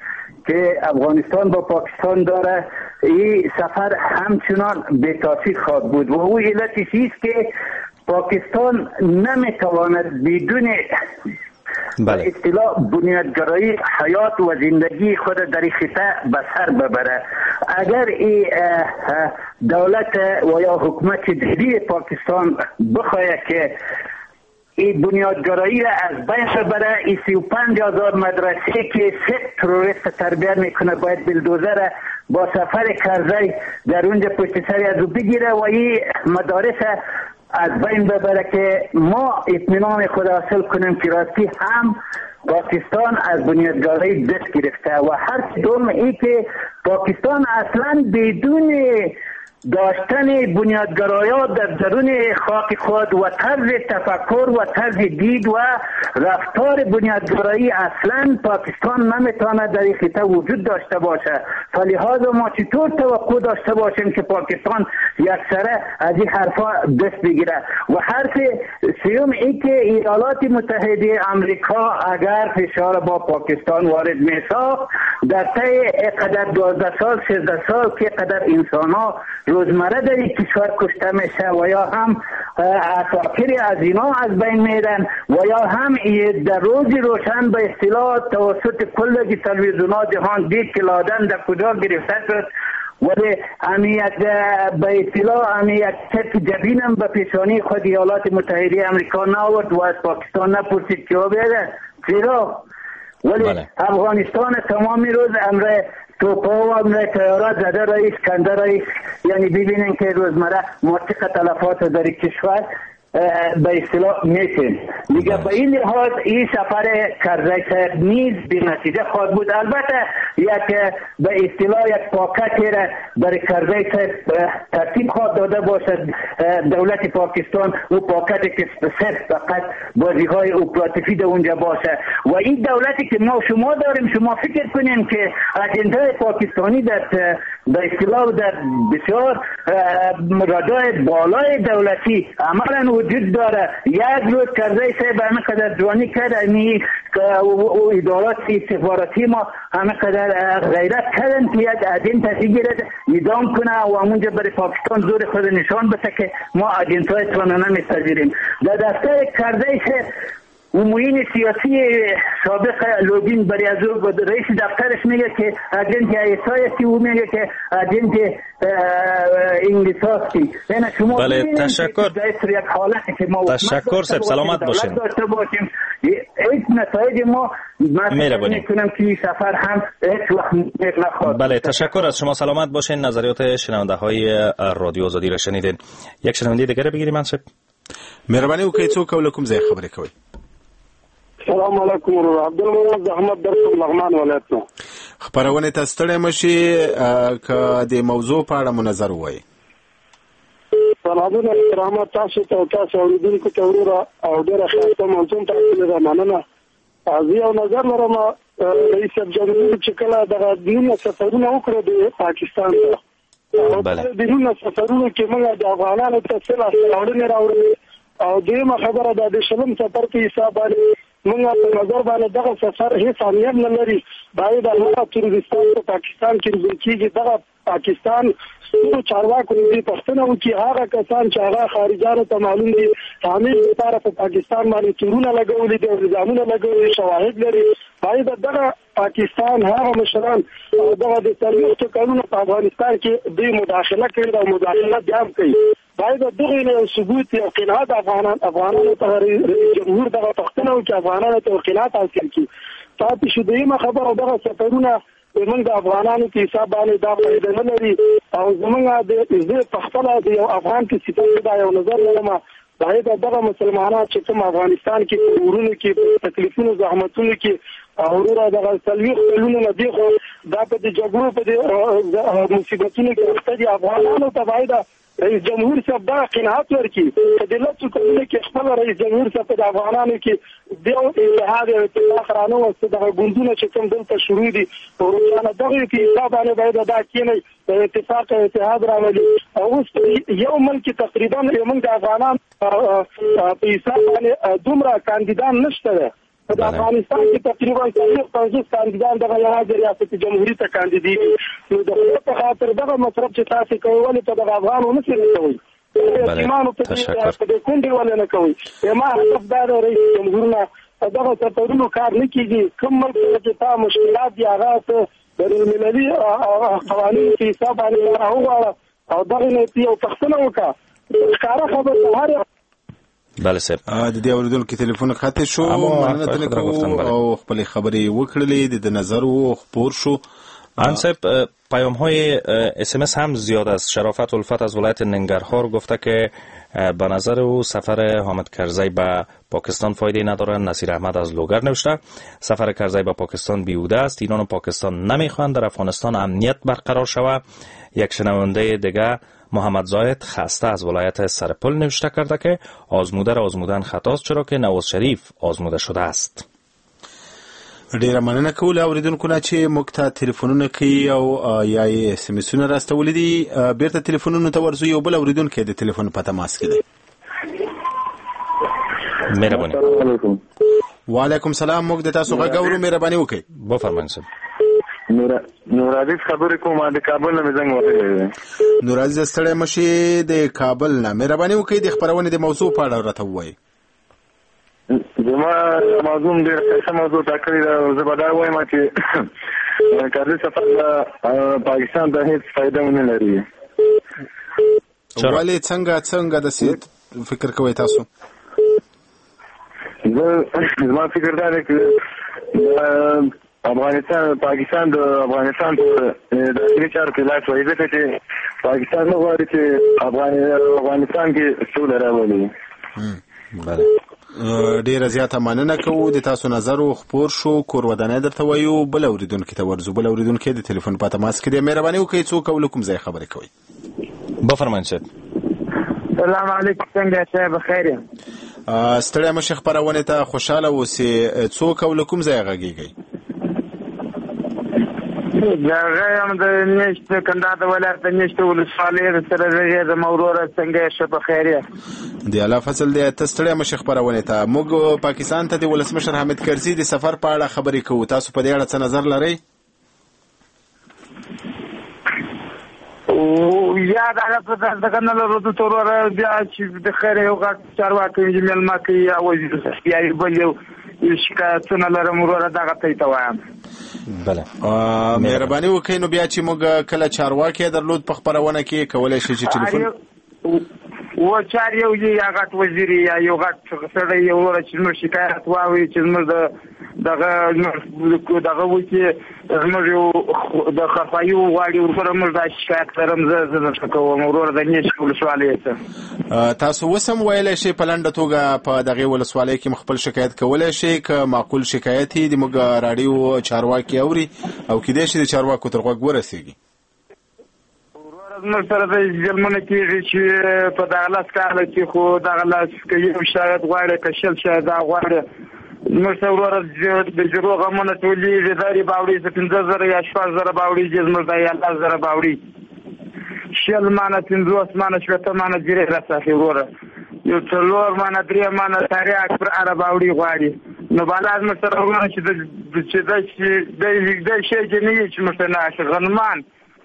که افغانستان با پاکستان داره، این سفر همچنان به تاثیر خواهد بود و او علتش است که پاکستان نمیتواند بدون بله. اصطلاح بنیادگرایی حیات و زندگی خود در این خطه به سر ببره. اگر این دولت و یا حکومت جدید پاکستان بخواهد که این بنیادگرایی را از بین ببره، این سی و پنج هزار مدرسه که سه تروریست تربیت میکنه باید بلدوزر را با سفر کرزی در اونجا پشت سر از او بگیره و این مدارس از بین ببره که ما اطمینان خود حاصل کنیم که راستی هم پاکستان از بنیادگرایی دست گرفته و هر دوم ای که پاکستان اصلا بدون داشتن بنیادگرایان در درون خاک خود و طرز تفکر و طرز دید و رفتار بنیادگرایی اصلا پاکستان نمیتواند در این خطه وجود داشته باشه. فلهذا ما چطور توقع داشته باشیم که پاکستان یکسره از این حرفا دست بگیره؟ و حرف سیوم ای که ایالات متحده امریکا اگر فشار با پاکستان وارد میساخت در طی قدر دوازده سال سیزده سال که قدر انسان ها روزمره در این کشور کشته میشه و یا هم عساکر از اینا از بین میرن و یا هم در روز روشن به اصطلاح توسط کل تلویزیون‌ها جهان دید که لادن در کجا گرفته شد، ولی امیت به اصطلاح امیت تک جبینم به پیشانی خود ایالات متحده امریکا نآورد و از پاکستان نپرسید که بیاید چرا. ولی بله. افغانستان تمام روز امر توپا و امر طیارات زده رئیس کنده رئیس، یعنی ببینن که روزمره ما چقدر تلفات در کشور به اصطلاح میتیم دیگه. به این لحاظ این سفر کرزی صاحب نیز بی نتیجه خواهد بود. البته یک به اصطلاح یک پاکت را برای کرزی صاحب ترتیب خواهد داده باشد دولت پاکستان، او پاکت که صرف فقط بازی های اپراتیفی در اونجا باشه. و این دولتی که ما شما داریم، شما فکر کنیم که اجنده پاکستانی در به اصطلاح در بسیار رادای بالای دولتی عملا وجود داره. یک روز کرزی صاحب همه قدر جوانی کرد، یعنی ادارات استخباراتی ما همه قدر غیرت کردن که یک agent بگیرد اعدام کنه و همونجا برای پاکستان زور خود نشان بده که ما agent های تان نمیپذیریم. در دفتر کرزی صاحب و معین سیاسی سابق لودین برای از رئیس دفترش میگه که agent آی اس آی هستی، او میگه که agent انگلیس هستی. یعنی شما بله تشکر. یک حالتی که ما تشکر صاحب، سلامت باشین. داشته باشیم هیچ نتایج ما میکنم که سفر هم هیچ وقت نخواهد. بله تشکر از شما، سلامت باشین. نظریات شنونده های رادیو آزادی را شنیدین. یک شنونده دیگر بگیریم. منصب مهرباني وکړئ، څوک او له کوم ځای خبرې کوئ؟ سلام علیکم ورور عبدالمنان زحمت درکوم لغمان ولایت نه. خپرونې ته ستړی مه شي، که د موضوع په اړه مو نظر ووایئ. سلامونه احترامات تاسو ته او تاسو اورېدونکو ته وروره، او ډېره ښایسته موضوع ټاکلې ده، مننه. زه یو نظر لرم رئیس جمهور چې کله دغه نولس سفرونه وکړو د پاکستان ته، او د نولس سفرونو کې موږ د افغانانو ته څه لاسته راوړنې راوړلې. او دویمه خبره ده د شلم سفر په حساب باندې موږ په نظر باندې دغه سفر هیڅ اهمیت نه لري. باید هغه تروریستان په پاکستان کې روزل کېږي، دغه پاکستان سترو چارواکو دې پوښتنه وکړي، هغه کسان چې هغه خارجانو ته معلوم دي همیش لپاره په پاکستان باندې تورونه لګولي دي او الزامونه لګولي، شواهد لري. باید دغه پاکستان هغه مشران او دغه د څلوېښتو کلونو په افغانستان کې دوی مداخله کړې ده او مداخله بیا هم کوي. باید دغه یو ثبوت یو قناعت افغانان افغانانو ته رئیس جمهور دغه پوښتنه وکړي، افغانانو ته قناعت حاصل کړي. پاتې شو دویمه خبره، دغه سفرونه زمونږ د افغانانو په حساب باندې دا فایده نه لري. او زمونږ د زه په خپله د یو افغان په صفت دا یو نظر لرم، باید دغه مسلمانان چې کوم افغانستان کې په ورونو کې په تکلیفونو زحمتونو کې وروره دغه څلوېښت کلونو نه دي، خو دا په دې جګړو په دې مصیبتونو کې اخته دي، افغانانو ته باید رئیس جمهور صاحب دا قناعت ورکړي چې د لسو کلونو کې خپل رئیس جمهور صاحب د افغانانو کې د یو اتحاد او اتفاق رانه وست. دغه ګوندونه چې کوم دلته شروع دي وروره دغه په حساب باندې باید دا کېني د اتفاق او اتحاد راولي. او اوس یو ملک تقریبا موږ د افغانان په حساب باندې دومره کاندیدان نشته. په افغانستان کې تقریبا څلوېښت پنځوس کاندیدان دغه یوازې ریاست جمهوري ته کاندیدېږي. نو د خدای په خاطر دغه مصرف چې تاسې کوئ ولې په دغه افغانو نه څه کوئ، یتیمانو په دې کونډې ولې نه کوئ؟ زما هدف دا دی رئیس جمهور نه په دغه سفرونو کار نه کېږي. کوم ملک چې تا مشکلات دي هغه ته بین المللي قوانینو په حساب باندې لاره وغواړه او دغه نه یو پوښتنه وکړه. ښکاره خبره هر بله صاحب د دې اوریدونکو تلیفون قطع شو. مننه ترې کوو او خپل خبرې وکړلې، د نظر و خپور شو. ان صاحب پیام های اس ام اس هم زیاد است. شرافت الفت از ولایت ننگرهار گفته که به نظر او سفر حامد کرزی به پاکستان فایده نداره. نصیر احمد از لوگر نوشته سفر کرزی به پاکستان بیهوده است، ایران و پاکستان نمیخواهند در افغانستان امنیت برقرار شود. یک شنونده دیگه محمد زاید خسته از ولایت سرپل نوشته کرده که آزموده را آزمودن خطاست، چرا که نواز شریف آزموده شده است. ډیره مننه کوو له اوریدونکو نه چې موږ ته تلیفونونه کوي او یا یې اس ام اسونه راستولي دي. بیرته تلیفونونو ته ورځو، یو بل اوریدونکی د تلیفون په تماس کې دی. مهرباني. وعلیکم سلام، موږ د تاسو غږ اورو، مهرباني وکړئ. بفرمایئ صاحب. نور نورعزیز خبرې کوم، د کابل نه مې زنګ وهلی دی. نورعزیز ستړی مه شې، د کابل نه. مهرباني وکړئ د خپرونې د موضوع په اړه راته ووایئ. زما موضوع ډېره ښه موضوع ټاکلې ده. زه به دا وایم چې کرزي سفر پاکستان ته هېڅ فایده ونه لري. ولې؟ څنګه څنګه داسې فکر کوئ تاسو؟ زه زما فکر دا دی چې افغانستان پاکستان د افغانستان په داخلي چارو کې لاس وهي، ځکه چې پاکستان نه غواړي چې افغانستان کې سوله راولي. بله ډیره زیاته مننه کوو د تاسو نظر و خپور شو. کور ودانۍ درته وایو. بل اوریدونکي ته ورځو. بل اوریدونکی د تلیفون په تماس کې دی. مهرباني وکړئ، څوک او له کوم ځای خبرې کوئ؟ بفرمایئ صاحب. سلام علیکم، څنګه یې صاحب؟ خیر یم. ستړی مه شې، خپرونې ته خوشحاله اوسې. څوک او له کوم ځای غږېږئ؟ زه یم د نېشت کندهار د ولایت د نېشت ولسوالۍ سره غږېږم. وروره څنګه یې؟ ښه په خیر یې؟ د الله فضل دی. ته ستړی مه شې خپرونې ته. موږ پاکستان ته د ولسمشر حامد کرزي د سفر په اړه خبرې کوو، تاسو په دې اړه څه نظر لرئ؟ یا دغه څه دغه نه لرو دلته وروره. بیا چې د خیر یو غټ چارواکی مېلمه کوي یا وزیر یا بل یو شکایتونه لرم وروره، دغه ته یې ته وایم. بله مهرباني وکړئ. نو بیا چې موږ کله چارواکی درلود په خپرونه کې کولی شئ چې ټلیفون و چار یو یا غټ وزیر یا یو غټ سړی یو وروره چې زموږ شکایت واوري، چې زموږ د دغه دغه وکړي، زموږ یو د خرخواهي وغواړي وروره. موږ دا شکایت لرم، زه زه درته کوم وروره د نېش ولسوالۍ ته. تاسو اوس هم ویلی شئ په لنډه توګه په دغې ولسوالۍ کې خپل شکایت کولی شئ، که معقول شکایت یې د موږ راډیو چارواکي اوري او کیدای شي د چارواکو تر غوږ ورسېږي. زموږ سره د ظلمونه کېږي چې په دغه لس کاله کې، خو دغه لس که یو شاید غواړي که شل شاید دا غواړي، زموږ څه وروره د جرو غمونه ټولېږي، دا باوړي څه پنځه زره یا شپږ زره باوړېږي، زموږ دا یا لس زره باوړي، شل مانه پنځوس مانه شپېته مانه جرې راڅخه وروره، یو څلور مانه درې مانه تریاک پر اره باوړي غواړي. نو بالا زموږ سره وروره چې چې د شی چې نه وي چې موږ ته نه اخلي. غنمان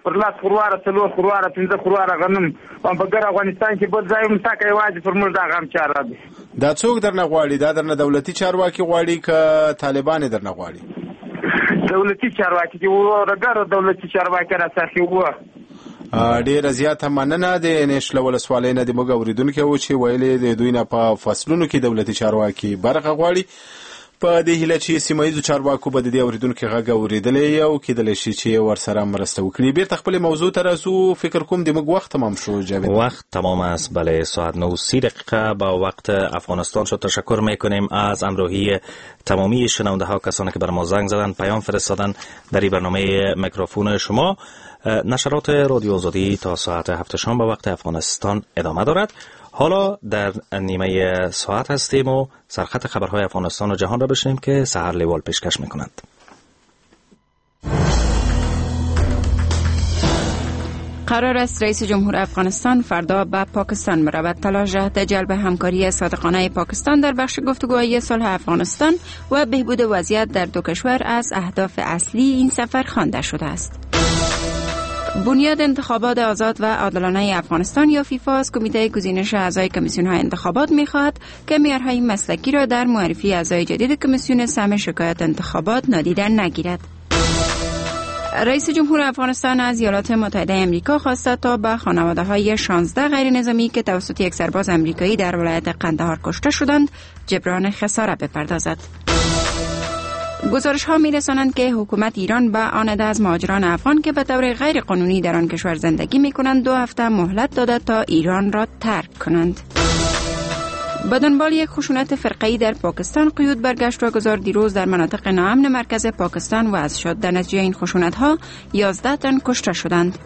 پر لس خرواره څلور خرواره پنځه خرواره غنم په ګر افغانستان کې بل ځای هم ټاکه یوازې پر موږ دا غم چاره دی. دا څوک درنه غواړي؟ دا درنه دولتي چارواکي غواړي که طالبان یې درنه غواړي؟ دولتي چارواکي دي وروره، ګر دولتي چارواکي راڅخه وه. ډېره زیاته مننه. د نېش له ولسوالۍ نه د موږ اورېدونکی و چې ویلې د دوی نه په فصلونو کې دولتي چارواکي برخه غواړي. په دې هیله چې سیمه ییزو چارواکو به د دې اورېدونکي غږ اورېدلی او کېدلی شي چې ورسره مرسته وکړي. بیرته خپلې موضوع ته راسو. فکر کوم د موږ وخت تمام شو. جاوید، وقت تمام است. بله، ساعت نه و سی دقیقه با وقت افغانستان شد. تشکر میکنیم از همراهی تمامی شنونده ها، کسانی که بر ما زنگ زدن، پیام فرستادن در این برنامه میکروفون شما. نشرات رادیو آزادی تا ساعت هفت شام به وقت افغانستان ادامه دارد. حالا در نیمه ساعت هستیم و سرخط خبرهای افغانستان و جهان را بشنیم که سحر لیوال پیشکش میکنند. قرار است رئیس جمهور افغانستان فردا به پاکستان برود. تلاش جهت جلب همکاری صادقانه پاکستان در بخش گفتگوهای صلح افغانستان و بهبود وضعیت در دو کشور از اهداف اصلی این سفر خوانده شده است. بنیاد انتخابات آزاد و عادلانه افغانستان یا فیفا از کمیته گزینش اعضای کمیسیون‌های انتخابات می‌خواهد که معیارهای مسلکی را در معرفی اعضای جدید کمیسیون سهم شکایت انتخابات نادیده نگیرد. رئیس جمهور افغانستان از ایالات متحده امریکا خواسته تا به خانواده‌های شانزده غیر نظامی که توسط یک سرباز امریکایی در ولایت قندهار کشته شدند جبران خساره بپردازد. گزارش ها می رسانند که حکومت ایران به آن عده از مهاجران افغان که به طور غیر قانونی در آن کشور زندگی می کنند دو هفته مهلت داده تا ایران را ترک کنند. به دنبال یک خشونت فرقه‌ای در پاکستان قیود برگشت و گذار دیروز در مناطق ناامن مرکز پاکستان وضع شد. در نتیجه این خشونت ها یازده تن کشته شدند.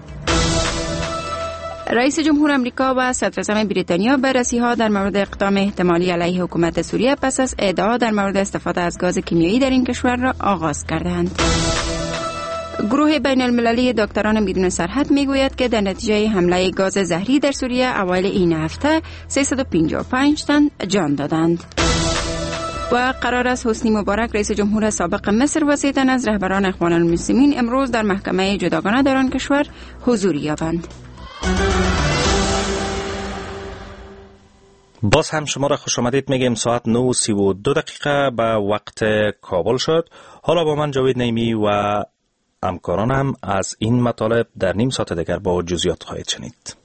رئیس جمهور امریکا و صدراعظم بریتانیا بررسی‌ها در مورد اقدام احتمالی علیه حکومت سوریه پس از ادعا در مورد استفاده از گاز کیمیایی در این کشور را آغاز کردند. گروه بین المللی دکتران بدون سرحد میگوید که در نتیجه حمله گاز زهری در سوریه اوایل این هفته سیصد و پنجاه و پنج تن جان دادند. و قرار است حسنی مبارک رئیس جمهور سابق مصر و سه تن از رهبران اخوان المسلمین امروز در محکمه جداگانه در آن کشور حضور یابند. باز هم شما را خوش آمدید میگیم. ساعت نه و سی و دو دقیقه به وقت کابل شد. حالا با من جاوید نیمی و همکارانم از این مطالب در نیم ساعت دیگر با جزئیات خواهید شنید.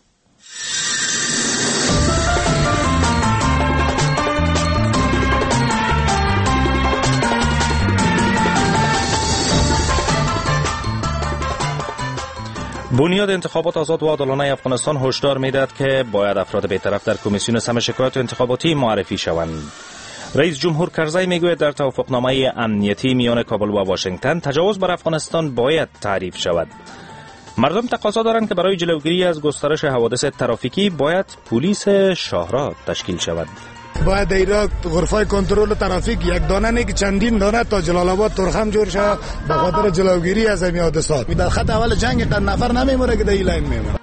بنیاد انتخابات آزاد و عادلانه افغانستان هشدار میدهد که باید افراد بی‌طرف در کمیسیون سم شکایت انتخاباتی معرفی شوند. رئیس جمهور کرزی میگوید در توافقنامه امنیتی میان کابل و واشنگتن تجاوز بر افغانستان باید تعریف شود. مردم تقاضا دارند که برای جلوگیری از گسترش حوادث ترافیکی باید پلیس شاهراه تشکیل شود. باید در ایران غرفه کنترل ترافیک یک دانه نه که چندین دانه تا جلال آباد ترخم جور شود به خاطر جلوگیری از این حادثات. در خط اول جنگ قد نفر نمیمونه که در این لاین میمونه.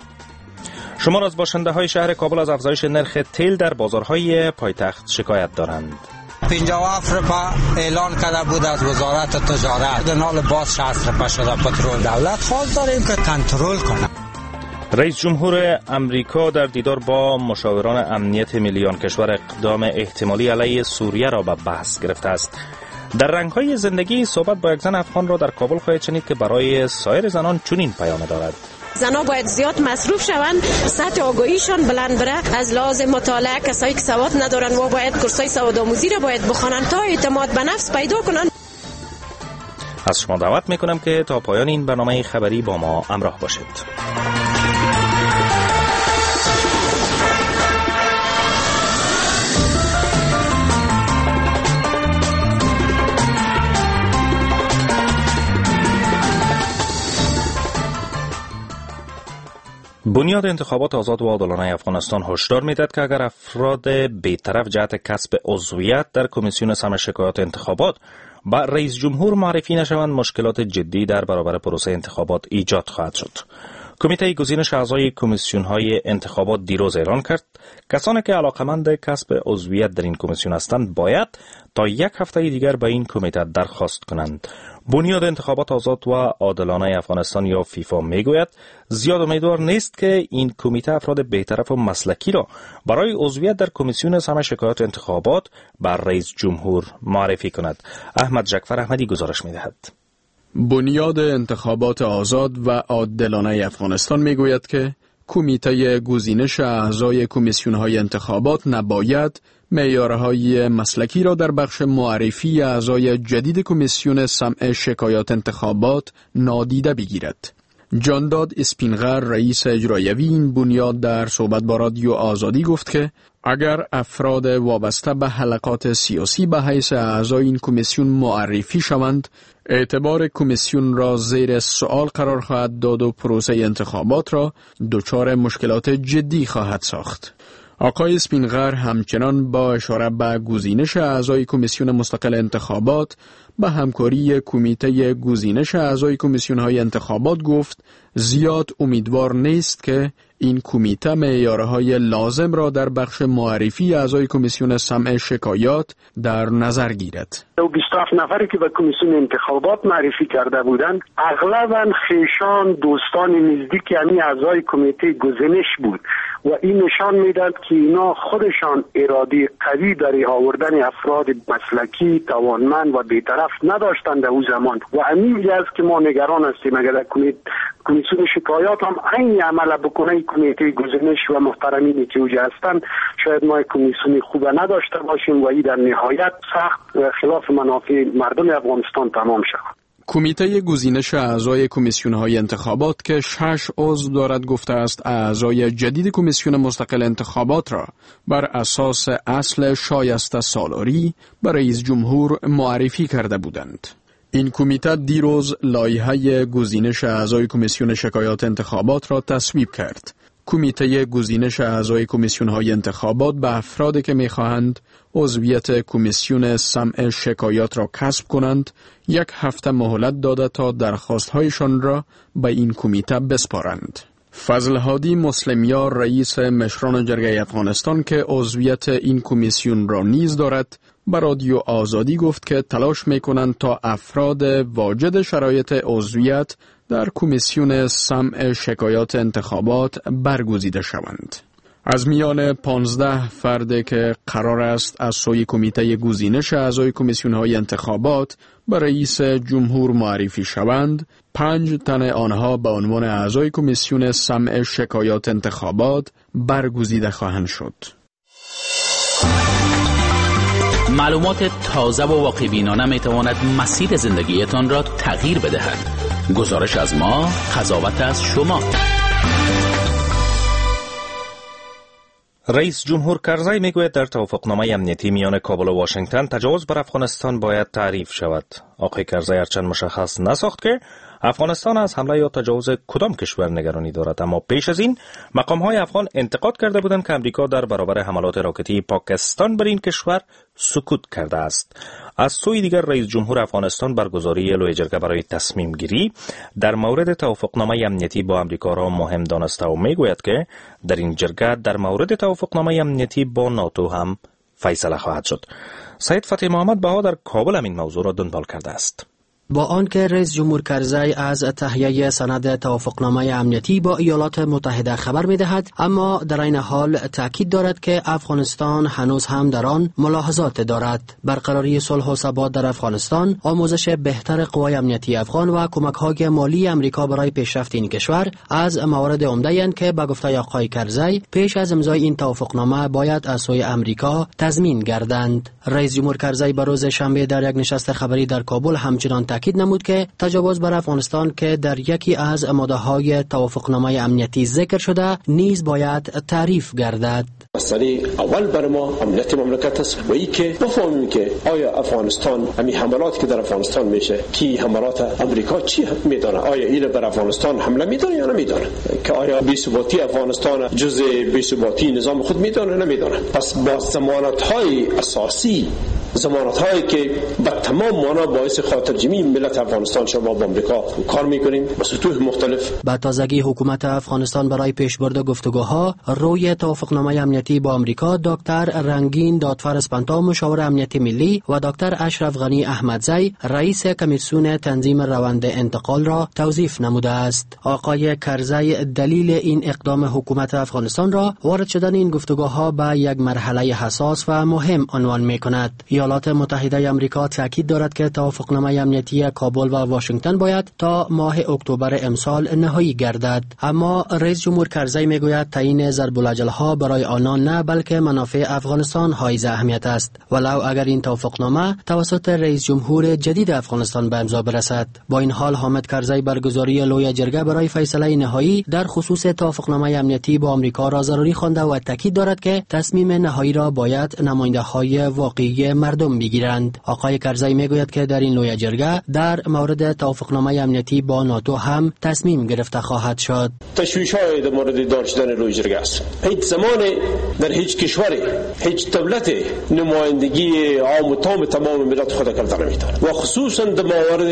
شمار از باشنده های شهر کابل از افزایش نرخ تیل در بازارهای پایتخت شکایت دارند. پنجاه و هفت روپه اعلان کرده بود از وزارت تجارت، نال باز شصت روپه شده پترول. دولت خواست داریم که کنترل کنه. رئیس جمهور امریکا در دیدار با مشاوران امنیت ملی آن کشور اقدام احتمالی علیه سوریه را به بحث گرفته است. در رنگ‌های زندگی صحبت با یک زن افغان را در کابل خواهید شنید که برای سایر زنان چنین پیام دارد. زنها باید زیاد مصروف شوند، سطح آگاهیشان بلند بره، از لحاظ مطالعه کسایی که سواد ندارن و باید کورسای سواد آموزی را باید بخوانند تا اعتماد به نفس پیدا کنند. از شما دعوت میکنم که تا پایان این برنامه خبری با ما همراه باشید. بنیاد انتخابات آزاد و عادلانه افغانستان هشدار میدهد که اگر افراد بیطرف جهت کسب عضویت در کمیسیون سمع شکایات انتخابات با رئیس جمهور معرفی نشوند، مشکلات جدی در برابر پروسه انتخابات ایجاد خواهد شد. کمیته گزینش اعضای کمیسیون های انتخابات دیروز اعلان کرد کسانی که علاقمند کسب عضویت در این کمیسیون هستند باید تا یک هفته دیگر به این کمیته درخواست کنند. بنیاد انتخابات آزاد و عادلانه افغانستان یا فیفا میگوید زیاد امیدوار نیست که این کمیته افراد بیطرف و مسلکی را برای عضویت در کمیسیون سمع شکایات انتخابات بر رئیس جمهور معرفی کند. احمد جکفر احمدی گزارش میدهد. بنیاد انتخابات آزاد و عادلانه افغانستان میگوید که کمیته گزینش اعضای کمیسیون‌های انتخابات نباید معیارهای مسلکی را در بخش معرفی اعضای جدید کمیسیون سمع شکایات انتخابات نادیده بگیرد. جانداد اسپینغر، رئیس اجرایوی این بنیاد، در صحبت با رادیو آزادی گفت که اگر افراد وابسته به حلقات سیاسی به حیث اعضای این کمیسیون معرفی شوند، اعتبار کمیسیون را زیر سوال قرار خواهد داد و پروسه انتخابات را دچار مشکلات جدی خواهد ساخت. آقای اسپینغر همچنان با اشاره به گزینش اعضای کمیسیون مستقل انتخابات به همکاری کمیته گزینش اعضای کمیسیون های انتخابات گفت زیاد امیدوار نیست که این کمیته معیارهای لازم را در بخش معرفی اعضای کمیسیون سمع شکایات در نظر گیرد. بیست و هفت نفری که به کمیسیون انتخابات معرفی کرده بودند اغلبا خیشان، دوستان نزدیک یعنی اعضای کمیته گزینش بود و این نشان میداد که اینا خودشان اراده قوی برای آوردن افراد مسلکی، توانمند و بیطرف نداشتند در او زمان و همین است که ما نگران هستیم. اگر کمیسیون شکایات هم عین عمل بکنه، کمیته گزینش و محترمینی که اوجه هستند، شاید ما کمیسیون خوب نداشته باشیم و این در نهایت سخت خلاف منافع مردم افغانستان تمام شود. کمیته گزینش اعضای کمیسیون‌های انتخابات که شش عضو دارد گفته است اعضای جدید کمیسیون مستقل انتخابات را بر اساس اصل شایسته سالاری به رئیس جمهور معرفی کرده بودند. این کمیته دیروز لایحه گزینش اعضای کمیسیون شکایات انتخابات را تصویب کرد. کمیته گزینش اعضای کمیسیون‌های انتخابات به افرادی که می‌خواهند عضویت کمیسیون سمع شکایات را کسب کنند یک هفته مهلت داده تا درخواست‌هایشان را به این کمیته بسپارند. فضل هادی مسلمیار، رئیس مشران جرگه افغانستان که عضویت این کمیسیون را نیز دارد، به رادیو آزادی گفت که تلاش می‌کنند تا افراد واجد شرایط عضویت در کمیسیون سمع شکایات انتخابات برگزیده شوند. از میان پانزده فرد که قرار است از سوی کمیته گزینش اعضای کمیسیون‌های انتخابات به رئیس جمهور معرفی شوند، پنج تن آنها به عنوان اعضای کمیسیون سمع شکایات انتخابات برگزیده خواهند شد. معلومات تازه و واقع بینانه می تواند مسیر زندگیتان را تغییر بدهد. گزارش از ما، قضاوت از شما. رئیس جمهور کرزی میگوید در توافقنامه امنیتی میان کابل و واشنگتن تجاوز بر افغانستان باید تعریف شود. آقای کرزی هرچند مشخص نساخت که افغانستان از حمله یا تجاوز کدام کشور نگرانی دارد، اما پیش از این مقام‌های افغان انتقاد کرده بودند که امریکا در برابر حملات راکتی پاکستان بر این کشور سکوت کرده است. از سوی دیگر رئیس جمهور افغانستان برگزاری لویه جرگه برای تصمیم گیری در مورد توافقنامه امنیتی با امریکا را مهم دانسته و میگوید که در این جرگه در مورد توافقنامه امنیتی با ناتو هم فیصله خواهد شد. سید فتح محمد بها در کابل هم این موضوع را دنبال کرده است. با آنکه رئیس جمهور کرزی از تهیه سند توافقنامه امنیتی با ایالات متحده خبر می‌دهد، اما در عین حال تاکید دارد که افغانستان هنوز هم در آن ملاحظات دارد. برقراری صلح و ثبات در افغانستان، آموزش بهتر قوای امنیتی افغان و کمک‌های مالی امریکا برای پیشرفت این کشور از موارد عمده‌اند که به گفته آقای کرزی پیش از امضای این توافقنامه باید از سوی امریکا تضمین گردند. رئیس جمهور کرزی به روز شنبه در یک نشست خبری در کابل همچنان تاکید نمود که تجاوز بر افغانستان که در یکی از ماده‌های توافقنامه امنیتی ذکر شده نیز باید تعریف گردد. مسئله اول بر ما امنیت مملکت است و ای که بفهمیم که آیا افغانستان همین حملات که در افغانستان میشه کی حملات امریکا چی میدانه، آیا این بر افغانستان حمله میدانه یا نمیدانه، که آیا بی‌ثباتی افغانستان جزء بی‌ثباتی نظام خود میدانه نمیدانه. پس با ضمانت های اساسی، ضمانت هایی که به تمام معنا باعث خاطرجمعی ملت افغانستان شما با آمریکا کار میکنیم با سطوح مختلف. به تازگی حکومت افغانستان برای پیشبرد گفتگوها روی توافقنامه امنیتی با آمریکا دکتر رنگین دادفر اسپنتا مشاور امنیت ملی و دکتر اشرف غنی احمدزی رئیس کمیسیون تنظیم روند انتقال را توظیف نموده است. آقای کرزی دلیل این اقدام حکومت افغانستان را وارد شدن این گفتگوها به یک مرحله حساس و مهم عنوان میکند. ایالات متحده آمریکا تاکید دارد که توافقنامه امنیتی کابل و واشنگتن باید تا ماه اکتبر امسال نهایی گردد، اما رئیس جمهور کرزی میگوید تعیین ضرب العجل‌ها برای آنان نه بلکه منافع افغانستان حائز اهمیت است، ولو اگر این توافقنامه توسط رئیس جمهور جدید افغانستان به امضا برسد. با این حال حامد کرزی برگزاری لویه جرگه برای فیصله نهایی در خصوص توافقنامه امنیتی با آمریکا را ضروری خوانده و تاکید دارد که تصمیم نهایی را باید نماینده‌های واقعی مردم بگیرند. آقای کرزی میگوید که در این لویه جرگه در مورد توافقنامه امنیتی با ناتو هم تصمیم گرفته خواهد شد. تشویش‌های در مورد دار شدن لویه جرگه است. هیچ زمان در هیچ کشوری، هیچ دولت نمایندگی عام و تام تمام ملت خود کرده نمیتونه و خصوصا در موارد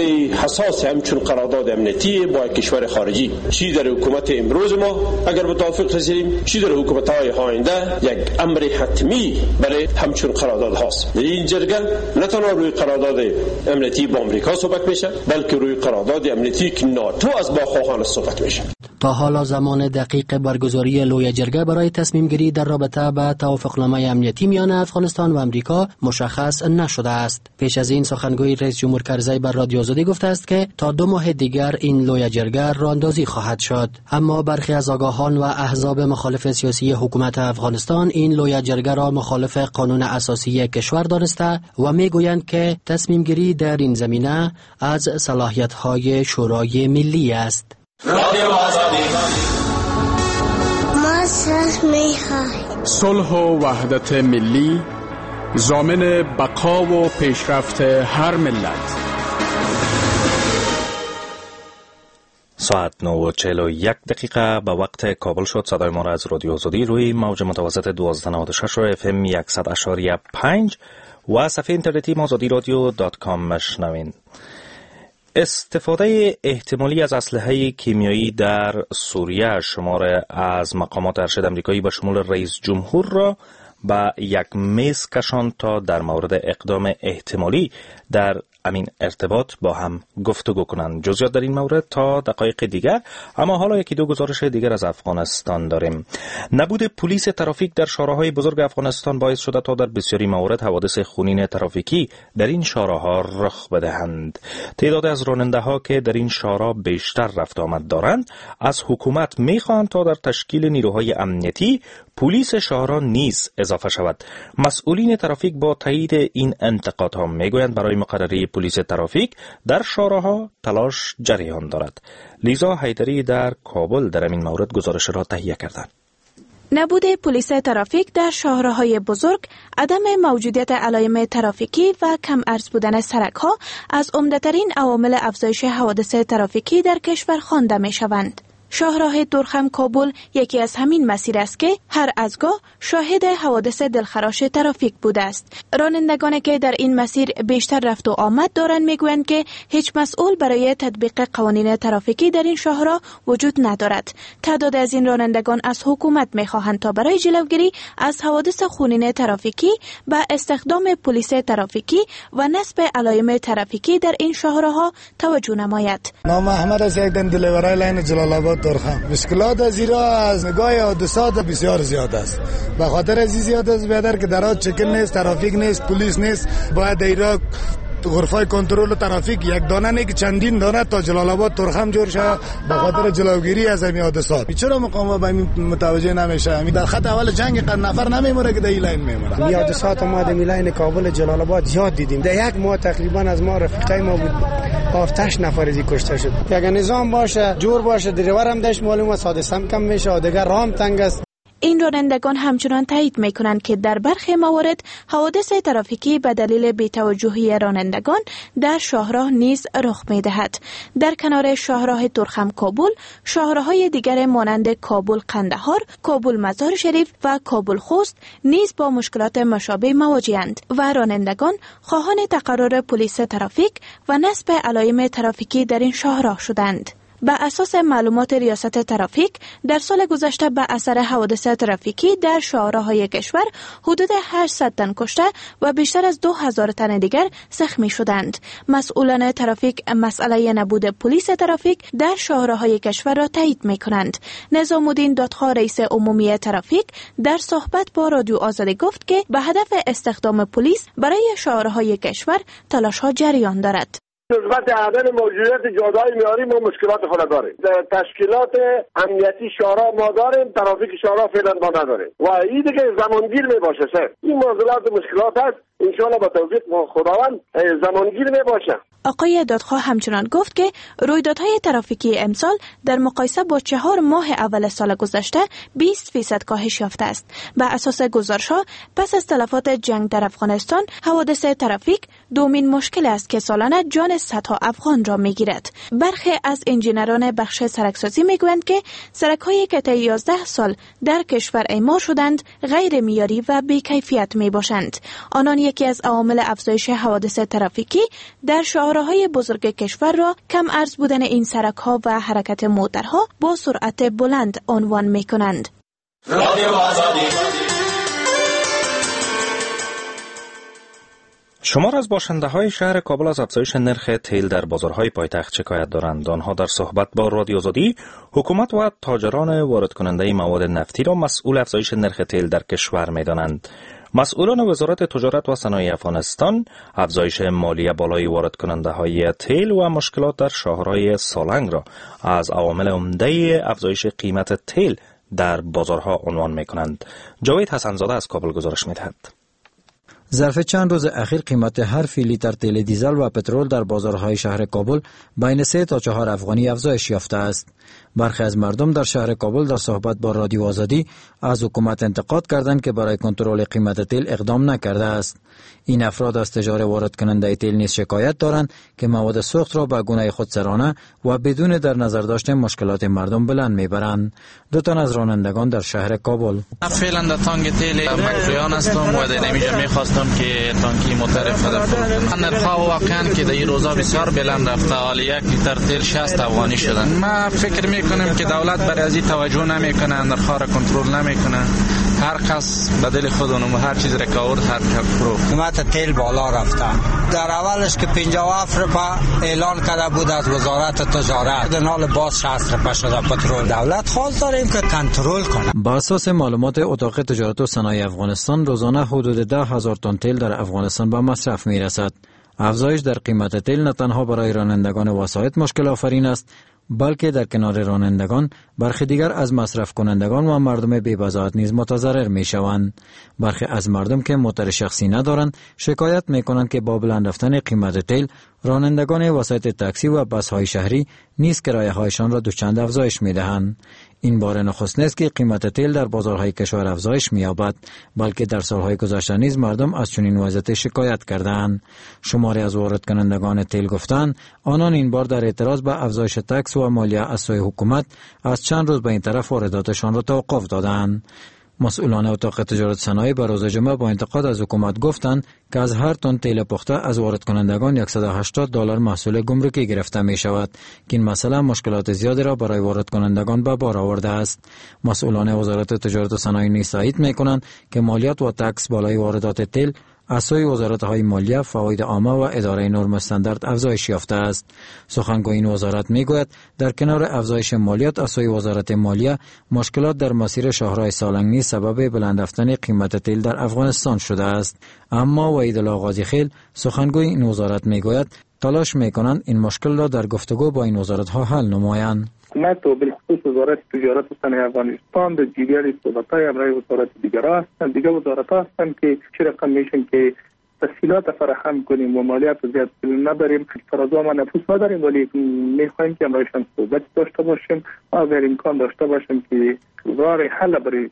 حساس همچون قرارداد امنیتی با کشور خارجی، چی در حکومت امروز ما اگر به توافق رسیدیم، چی در حکومت‌های آینده، یک امر حتمی برای همچون قرارداد هاست. در این جرگه نه تنها روی قرارداد امنیتی با آمریکا صحبت میشه، بلکه روی قرارداد امنیتی که ناتو از با خواهان صحبت میشه. تا حالا زمان دقیق برگزاری لویه جرگه برای تصمیم گیری در رابطه به توافقنامه امنیتی میان افغانستان و آمریکا مشخص نشده است. پیش از این سخنگوی رئیس جمهور کرزی بر رادیو آزادی گفته است که تا دو ماه دیگر این لویه جرگه راندازی خواهد شد، اما برخی از آگاهان و احزاب مخالف سیاسی حکومت افغانستان این لویه جرگه را مخالف قانون اساسی کشور دانسته و میگویند که تصمیم گیری در این زمینه از صلاحیت‌های شورای ملی است. ما صلح می‌خواهیم. صلح و وحدت ملی ضامن بقا و پیشرفت هر ملت. ساعت نه و چهل و یک دقیقه به وقت کابل شد. صدای ما را از رادیو آزادی روی موج متوسط دوازده نود و شش و اف ام صد اعشاریه پنج و صفحه اینترنتی آزادی رادیو dot com مشنوین. استفاده احتمالی از اسلحه کیمیایی در سوریه شمار از مقامات ارشد امریکایی به شمول رئیس جمهور را به یک میز کشاند تا در مورد اقدام احتمالی در امین ارتباط با هم گفتگو کنند. جزئیات در این مورد تا دقایق دیگر، اما حالا یکی دو گزارش دیگر از افغانستان داریم. نبود پلیس ترافیک در شهرهای بزرگ افغانستان باعث شده تا در بسیاری موارد حوادث خونین ترافیکی در این شهرها رخ بدهند. تعداد از راننده ها که در این شهرها بیشتر رفت آمد دارند از حکومت میخواهند تا در تشکیل نیروهای امنیتی پلیس شهرها نیز اضافه شود. مسئولین ترافیک با تایید این انتقادها میگویند برای مقرری پلیس ترافیک در شهرها تلاش جریان دارد. لیزا حیدری در کابل در این مورد گزارش را تهیه کردند. نبود پلیس ترافیک در شهرهای بزرگ، عدم موجودیت علایم ترافیکی و کم ارز بودن سڑک‌ها از عمده‌ترین عوامل افزایش حوادث ترافیکی در کشور خوانده می‌شوند. شاهراه تورخم کابل یکی از همین مسیر است که هر ازگاه شاهد حوادث دلخراش ترافیک بوده است. رانندگانی که در این مسیر بیشتر رفت و آمد دارند میگویند که هیچ مسئول برای تطبیق قوانین ترافیکی در این شاهراه وجود ندارد. تعداد از این رانندگان از حکومت میخواهند تا برای جلوگیری از حوادث خونین ترافیکی به استخدام پلیس ترافیکی و نصب علایم ترافیکی در این شاهراها توجه نماید. نام احمد است، یک دن دلیورای لاین جلال آباد. مشکلات از ایرا از نگاه حادثات بسیار زیاد است. به خاطر از زیاد است بیادر که در چکن نیست، ترافیک نیست، پلیس نیست. باید ایرا غرفه کنترل ترافیک یک دانه نه که چندین دانه تا جلال آباد تورخم جور شه به خاطر جلوگیری از این حادثات. چرا مقام به این متوجه نمیشه؟ در خط اول جنگ قد نفر نمیمونه که در این لاین میمونه. این حادثات ما در لاین کابل جلال آباد زیاد دیدیم. در یک ماه تقریبا از ما رفیقای ما بود هفت هشت نفر ازی کشته شد. اگر نظام باشه، جور باشه، دریور هم داشت معلوم است، حادثه هم کم میشه، دیگر رام تنگ است. این رانندگان همچنان تایید می‌کنند که در برخی موارد حوادث ترافیکی به دلیل بی‌توجهی رانندگان در شاهراه نیز رخ می‌دهد. در کنار شاهراه تورخم کابل، شاهراه‌های دیگر مانند کابل قندهار، کابل مزار شریف و کابل خوست نیز با مشکلات مشابه مواجه‌اند و رانندگان خواهان تقرر پلیس ترافیک و نصب علایم ترافیکی در این شاهراه شدند. به اساس معلومات ریاست ترافیک، در سال گذشته به اثر حوادث ترافیکی در شاهراه‌های کشور حدود هشتصد تن کشته و بیشتر از دو هزار تن دیگر زخمی شدند. مسئولان ترافیک مسئله نبود پلیس ترافیک در شاهراه‌های کشور را تایید می‌کنند. نظام‌الدین دادخواه، رئیس عمومی ترافیک، در صحبت با رادیو آزادی گفت که به هدف استخدام پلیس برای شاهراه‌های کشور تلاش‌ها جریان دارد. نسبت عدم موجودیت جاده‌های معیاری ما مشکلات خود داریم. در تشکیلات امنیتی شورا ما داریم، ترافیک شورا فعلا ما نداریم و این دیگه زمانگیر می باشه سر. این معضلات مشکلات هست، ان شاء الله با توفیق خداوند زمانگیر می باشه. آقای دادخواه همچنان گفت که رویدادهای ترافیکی امسال در مقایسه با چهار ماه اول سال گذشته بیست فیصد کاهش یافته است. به اساس گزارش‌ها، پس از تلفات جنگ در افغانستان، حوادث ترافیک دومین مشکل است که سالانه جان صدها افغان را می‌گیرد. برخی از انجینران بخش سرکسازی می‌گویند که سرک‌هایی که طی یازده سال در کشور اعمار شدند غیر معیاری و بی‌کیفیت می‌باشند. آنان یکی از عوامل افزایش حوادث ترافیکی در شاهراه‌های بزرگ کشور را کم ارز بودن این سرک‌ها و حرکت موترها با سرعت بلند عنوان می‌کنند. شمار از باشنده های شهر کابل از افزایش نرخ تیل در بازارهای پایتخت شکایت دارند. آنها در صحبت با رادیو آزادی حکومت و تاجران وارد کننده مواد نفتی را مسئول افزایش نرخ تیل در کشور می‌دانند. مسئولان وزارت تجارت و صنایع افغانستان افزایش مالیه بالای وارد کننده های تیل و مشکلات در شاهراه سالنگ را از عوامل عمده افزایش قیمت تیل در بازارها عنوان می‌کنند. جاوید حسن‌زاده از کابل گزارش می‌دهد. ظرف چند روز اخیر قیمت هر فی لیتر تیل دیزل و پترول در بازارهای شهر کابل بین سه تا چهار افغانی افزایش یافته است. برخی از مردم در شهر کابل در صحبت با رادیو آزادی از حکومت انتقاد کردند که برای کنترل قیمت تیل اقدام نکرده است. این افراد از تجار وارد کننده تیل نیز شکایت دارند که مواد سوخت را به گونه خودسرانه و بدون در نظر داشت مشکلات مردم بلند میبرند. دو تن از رانندگان در شهر کابل: فعلا در تانک تیل مکریان هستم و در اینجا میخواستم که تانکی موتر خود نرخ‌ها واقعا که در این روزا بسیار بلند رفته. حال یک لیتر تیل شصت افغانی شدن. ما فکر میکنم که دولت برای از این توجه نمیکنه، نرخ‌ها را کنترل نمیکنه. هر کس به دل خود و هر چیز را که آورد هر فروخت. قیمت تیل بالا رفته. در اولش که پنجاه و هفت روپیه اعلان کرده بود از وزارت تجارت، در حال باز شصت روپیه شده پترول. دولت خواست داریم که کنترل کنه. با اساس معلومات اتاق تجارت و صنایع افغانستان، روزانه حدود ده هزار تن تیل در افغانستان به مصرف میرسد. افزایش در قیمت تیل نه تنها برای رانندگان وسایط مشکل آفرین است، بلکه در کنار رانندگان برخی دیگر از مصرف کنندگان و مردم بی‌بضاعت نیز متضرر می شوند. برخی از مردم که موتور شخصی ندارند شکایت می کنند که با بلند رفتن قیمت تیل رانندگان وسایط تاکسی و بس‌های شهری نیز کرایه هایشان را دوچند افزایش می دهند. این بار نخست نیست که قیمت تیل در بازارهای کشور افزایش می‌یابد، بلکه در سالهای گذشته نیز مردم از چنین وضعیت شکایت کردند. شماری از وارد کنندگان تیل گفتند آنان این بار در اعتراض به افزایش تکس و مالیه از سوی حکومت از چند روز به این طرف وارداتشان را توقف دادند. مسئولان اتاق تجارت صنایع به روز جمعه با انتقاد از حکومت گفتند که از هر تن تیل پخته از وارد کنندگان صد و هشتاد دلار محصول گمرکی گرفته می شود که این مسئله مشکلات زیادی را برای وارد کنندگان به بار آورده است. مسئولان وزارت تجارت و صنایع نیز تایید می کنند که مالیات و تکس بالای واردات تیل از سوی وزارت‌های مالیه، فواید عامه و اداره نرم استاندارد افزایش یافته است. سخنگوی این وزارت میگوید در کنار افزایش مالیات از سوی وزارت مالیه، مشکلات در مسیر شاهراه سالنگ نیز سبب بلند رفتن قیمت تیل در افغانستان شده است. اما وحیدالله غازی خیل سخنگوی این وزارت میگوید تلاش میکنند این مشکل را در گفتگو با این وزارت‌ها حل نمایند. حکومت و بالخصوص وزارت تجارت و صنایع افغانستان در جریان صحبت‌های همراه وزارت دیگر هستند، دیگر وزارت‌ها هستند که چه رقم میشن که تسهیلات فراهم کنیم و مالیات زیاد نبریم. فرضا ما نفوذ نداریم، ولی میخوایم که همراهشان صحبت داشته باشیم و اگر امکان داشته باشیم که راه حل برای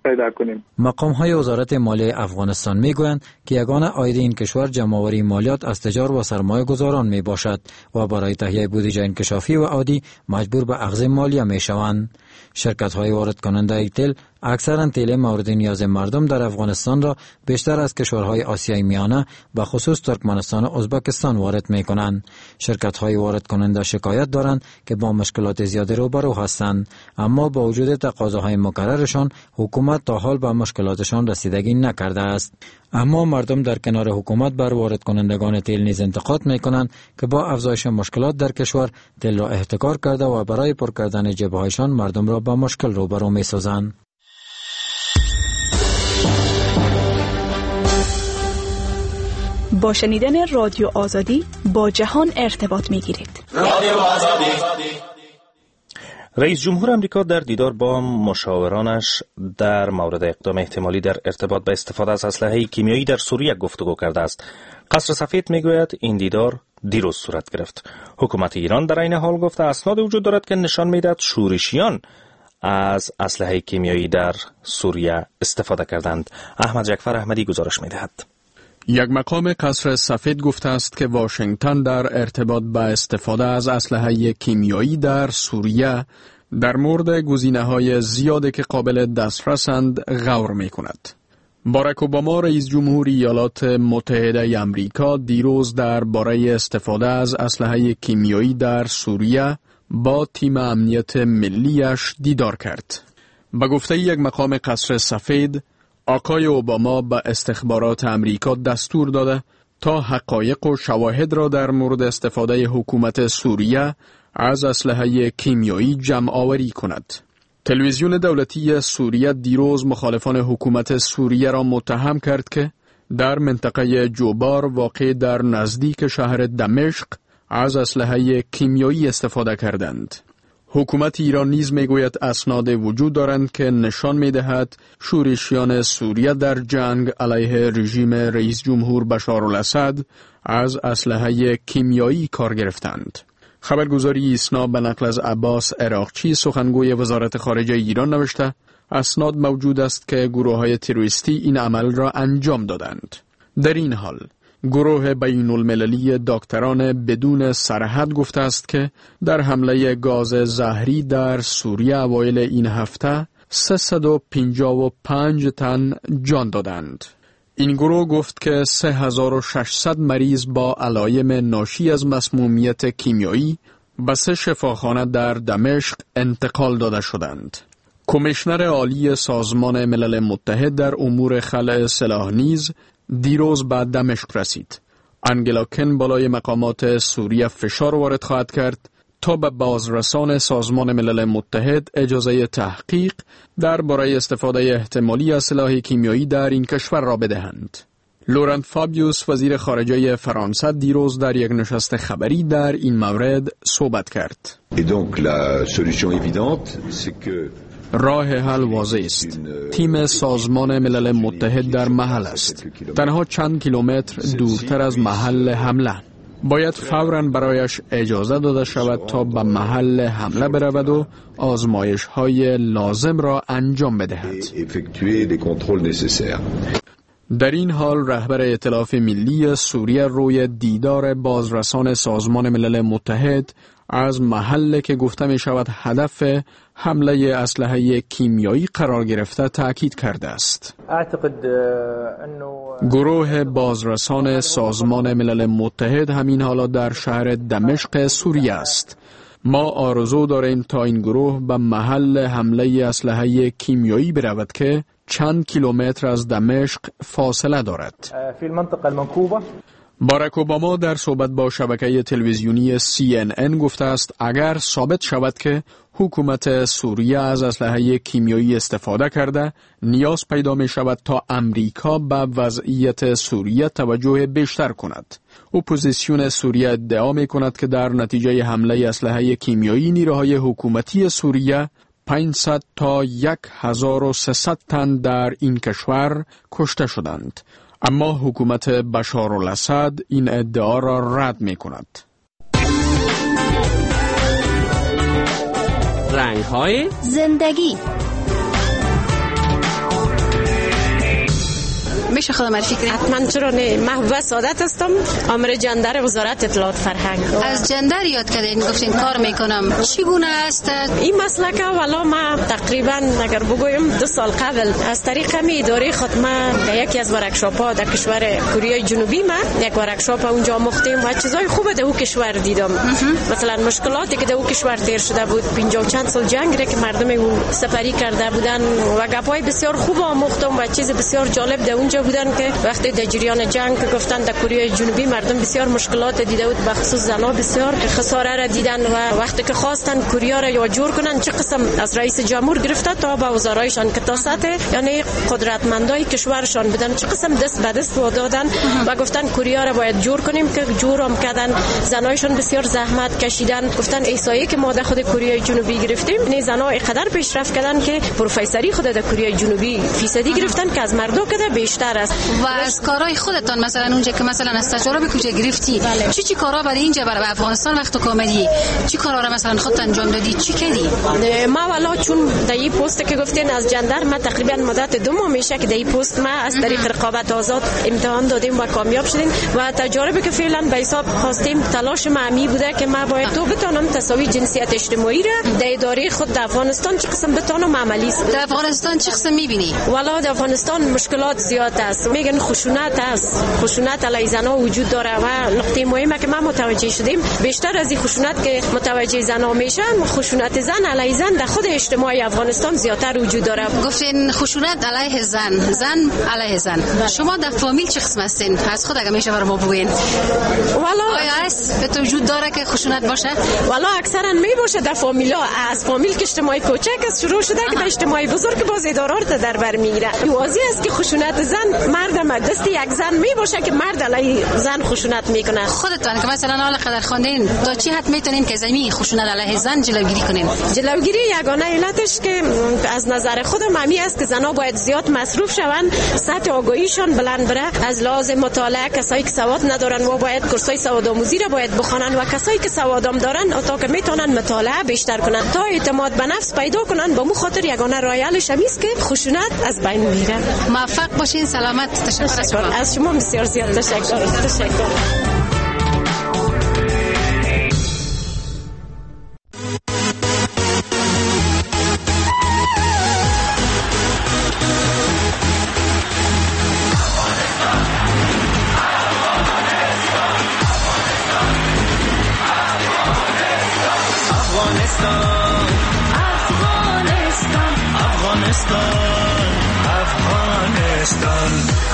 پیدا کنیم. مقام های وزارت مالیه افغانستان میگویند که یگانه عاید این کشور جمع‌آوری مالیات از تجار و سرمایه گذاران می باشد و برای تهیه بودجه انکشافی و عادی مجبور به اخذ مالیه می شوند. شرکت های وارد کننده تیل اکثرا تیل مورد نیاز مردم در افغانستان را بیشتر از کشورهای آسیای میانه به خصوص ترکمنستان و ازبکستان وارد می کنند. شرکت های وارد کننده شکایت دارند که با مشکلات زیادی روبرو هستند، اما با وجود تقاضاهای مکررشان حکومت تا حال به مشکلاتشان رسیدگی نکرده است. اما مردم در کنار حکومت بر وارد کنندگان تیل نیز انتقاد می کنند که با افزایش مشکلات در کشور تیل را احتکار کرده و برای پر کردن جیبهایشان مردم را با مشکل روبرو می سازند. با شنیدن رادیو آزادی با جهان ارتباط می گیرید. رادیو آزادی. رئیس جمهور امریکا در دیدار با مشاورانش در مورد اقدام احتمالی در ارتباط به استفاده از اسلحه کیمیایی در سوریه گفتگو کرده است. قصر سفید میگوید این دیدار دیروز صورت گرفت. حکومت ایران در عین حال گفته اسناد وجود دارد که نشان میدهد شورشیان از اسلحه کیمیایی در سوریه استفاده کردند. احمد جعفر احمدی گزارش میدهد. یک مقام قصر سفید گفته است که واشنگتن در ارتباط به استفاده از اسلحه کیمیایی در سوریه در مورد گزینه‌های زیادی که قابل دسترسند غور می‌کند. باراک اوباما رئیس جمهور ایالات متحده آمریکا دیروز درباره استفاده از اسلحه کیمیایی در سوریه با تیم امنیت ملیش دیدار کرد. به گفته یک مقام قصر سفید، آقای اوباما به استخبارات امریکا دستور داده تا حقایق و شواهد را در مورد استفاده حکومت سوریه از اسلحه کیمیایی جمع آوری کند. تلویزیون دولتی سوریه دیروز مخالفان حکومت سوریه را متهم کرد که در منطقه جوبار واقع در نزدیک شهر دمشق از اسلحه کیمیایی استفاده کردند. حکومت ایران نیز میگوید اسناد وجود دارند که نشان میدهد شورشیان سوریه در جنگ علیه رژیم رئیس جمهور بشار الاسد از اسلحه کیمیایی کار گرفتند. خبرگزاری ایسنا به نقل از عباس عراقچی سخنگوی وزارت خارجه ایران نوشته اسناد موجود است که گروه‌های تروریستی این عمل را انجام دادند. در این حال گروه بین المللی دکتران بدون سرحد گفته است که در حمله گاز زهری در سوریه اوایل این هفته سیصد و پنجاه و پنج تن جان دادند. این گروه گفت که سه هزار و ششصد مریض با علایم ناشی از مسمومیت کیمیایی به سه شفاخانه در دمشق انتقال داده شدند. کمیشنر عالی سازمان ملل متحد در امور خلع سلاح نیز دیروز به دمشق رسید. انگلا کن بالای مقامات سوریه فشار وارد خواهد کرد تا به بازرسان سازمان ملل متحد اجازه تحقیق درباره استفاده احتمالی از سلاح کیمیایی در این کشور را بدهند. لورنت فابیوس وزیر خارجه فرانسه دیروز در یک نشست خبری در این مورد صحبت کرد. راه حل واضح است. تیم سازمان ملل متحد در محل است. تنها چند کیلومتر دورتر از محل حمله. باید فوراً برایش اجازه داده شود تا به محل حمله برود و آزمایش های لازم را انجام بدهد. در این حال رهبر ائتلاف ملی سوریه روی دیدار بازرسان سازمان ملل متحد از محل که گفته می شود هدف حمله اسلحه کیمیایی قرار گرفته تأکید کرده است. گروه بازرسان سازمان ملل متحد همین حالا در شهر دمشق سوریه است. ما آرزو داریم تا این گروه به محل حمله اسلحه کیمیایی برود که چند کیلومتر از دمشق فاصله دارد. باراک اوباما در صحبت با شبکه تلویزیونی سی ان ان گفته است اگر ثابت شود که حکومت سوریه از اسلحه کیمیایی استفاده کرده، نیاز پیدا می شود تا امریکا به وضعیت سوریه توجه بیشتر کند. اپوزیسیون سوریه ادعا می کند که در نتیجه حمله اسلحه کیمیایی نیروهای حکومتی سوریه پانصد تا هزار و سیصد تن در این کشور کشته شدند. اما حکومت بشار الاسد این ادعا را رد می کند. رنگ های زندگی. میشه خود معرفی کنید؟ حتما، چرا نه. محبوبه سعادت هستم، آمر جندر وزارت اطلاعات فرهنگ. از جندر یاد کردین، گفتین کار میکنم، چگونه است این مسلک؟ والا ما تقریبا اگر بگویم دو سال قبل از طریق می اداره خود ما در یکی از workshop ها در کشور کره جنوبی ما یک workshop اونجا آموختیم و چیزای خوب در او کشور دیدم. مثلا مشکلاتی که در او کشور تیر شده بود، پنجاه و چند سال جنگ را که مردم او سپری کرده بودن و گپای بسیار خوب آموختم و چیز بسیار جالب در اونجا بودن که وقتی در جریان جنگ گفتن در کره جنوبی مردم بسیار مشکلات دیده بود، به خصوص زن‌ها بسیار خساره را دیدن و وقتی که خواستن کره را یا جور کنن چه قسم از رئیس جمهور گرفته تا به وزرایشان که تا سطح یعنی قدرتمندای کشورشان بودن چه قسم دست به دست دادن و گفتن کره را باید جور کنیم که جورم کردن. زنایشان بسیار زحمت کشیدن، گفتن احصایه که ما در خود کره جنوبی گرفتیم نه زن‌ها اینقدر پیشرفت کردن که پروفسوری خود در کره جنوبی فیصدی گرفتن که از مردا کده بیشتر است. و از کارهای خودتان مثلا اونجا که مثلا از تجارب کجا گرفتی؟ بله. چی چی کارا برای اینجا برای افغانستان وقت کامدی چی کارا را مثلا خودت انجام دادی، چی کردی؟ ما والا چون در این پست که گفتین از جندر ما تقریبا مدت دو ماه میشه که در این پست ما از طریق رقابت آزاد امتحان دادیم و کامیاب شدیم و تجاربی که فعلا به حساب خواستیم تلاش ما همی بوده که ما باید تو بتونم تساوی جنسیت اجتماعی را در اداره خود در افغانستان چه قسم بتونم عملی. در افغانستان چه قسم میبینی؟ والا در افغانستان مشکلات زیاد است، میگن خشونت است، خشونت علیه زن‌ها وجود داره و نقطه مهمه که ما متوجه شدیم بیشتر از این خشونت که متوجه زن‌ها میشن، خشونت زن علیه زن در خود اجتماع افغانستان زیادتر وجود داره. گفتین خشونت علیه زن، زن علیه زن. بله. شما در فامیل چه قسم هستین؟ از خود اگه میشه برای ما بگوین. والا آیا است به تو وجود داره که خشونت باشه؟ والا اکثرا می باشه در فامیلا، از فامیل که اجتماع کوچک است شروع شده که در اجتماع بزرگ باز ادارات در بر میگیره. واضح است که خشونت زن مرد دست یک زن می باشه که مرد علیه زن خشونت میکنه. خودتان که مثلا حالا قدر خواندین تا چی حد میتونین که زمین خشونت علیه زن جلوگیری کنین؟ جلوگیری یگانه علتش که از نظر خودم همی است که زنها باید زیاد مصروف شوند، سطح آگاهیشان بلند بره، از لحاظ مطالعه کسایی که سواد ندارن و باید کورسای سواد آموزی را باید بخوانن و کسایی که سوادام دارن تا که میتونن مطالعه بیشتر کنن تا اعتماد به نفس پیدا کنن. با مو خاطر یگانه راه حلش همی است که خشونت از بین میره. موفق باشین، سلامت. تشکر از شما. از شما بسیار زیاد تشکر. تشکر.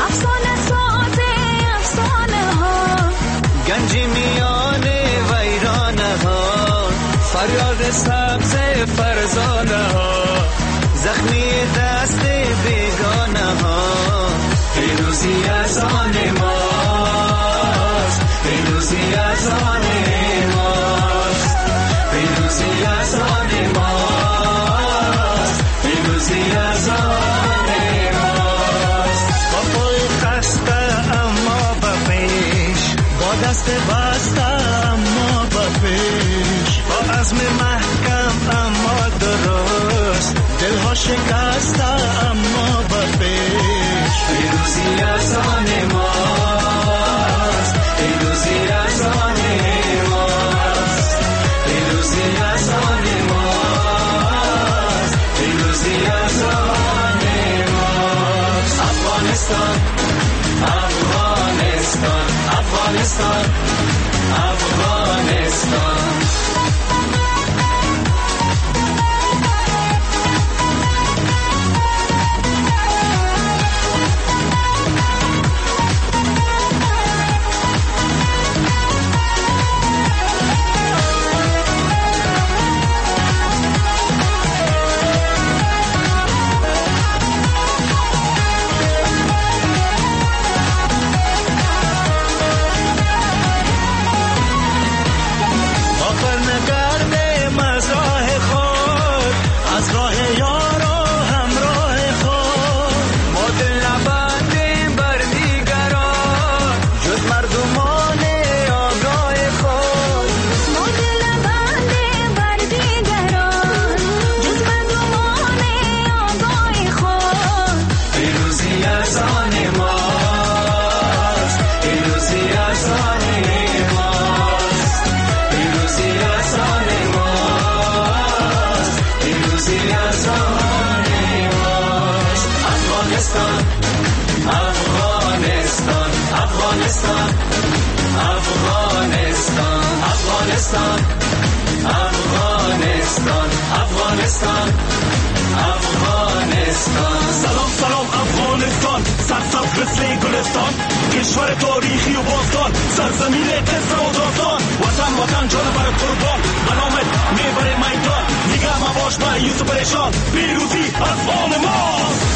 افسانه ساز افسانه ها، گنجی میان ویرانه ها، فریاد سبز فرزانه ها، زخمی دست بیگانه ها، پیروزی از آن ماست، پیروزی از آن ماست، پیروزی از آن ماست، پیروزی از آن دست بسته اما به پیش، با عزم محکم اما درست، دلها شکسته اما به پیش، پیروزی از آن ماست، پیروزی از آن ماست، پیروزی از آن ماست، پیروزی از آن ماست. افغانستان، افغانستان، افغانستان، افغانستان. افغانستان، افغانستان. سلام سلام افغانستان، سرسبز مثل گلستان، کشور تاریخی و باستان، سرزمین قصه و داستان. وطن وطن جان بر قربان، به نامت میبره میدان، نگه مباش مایوس و پریشان، پیروزی از آن ماست.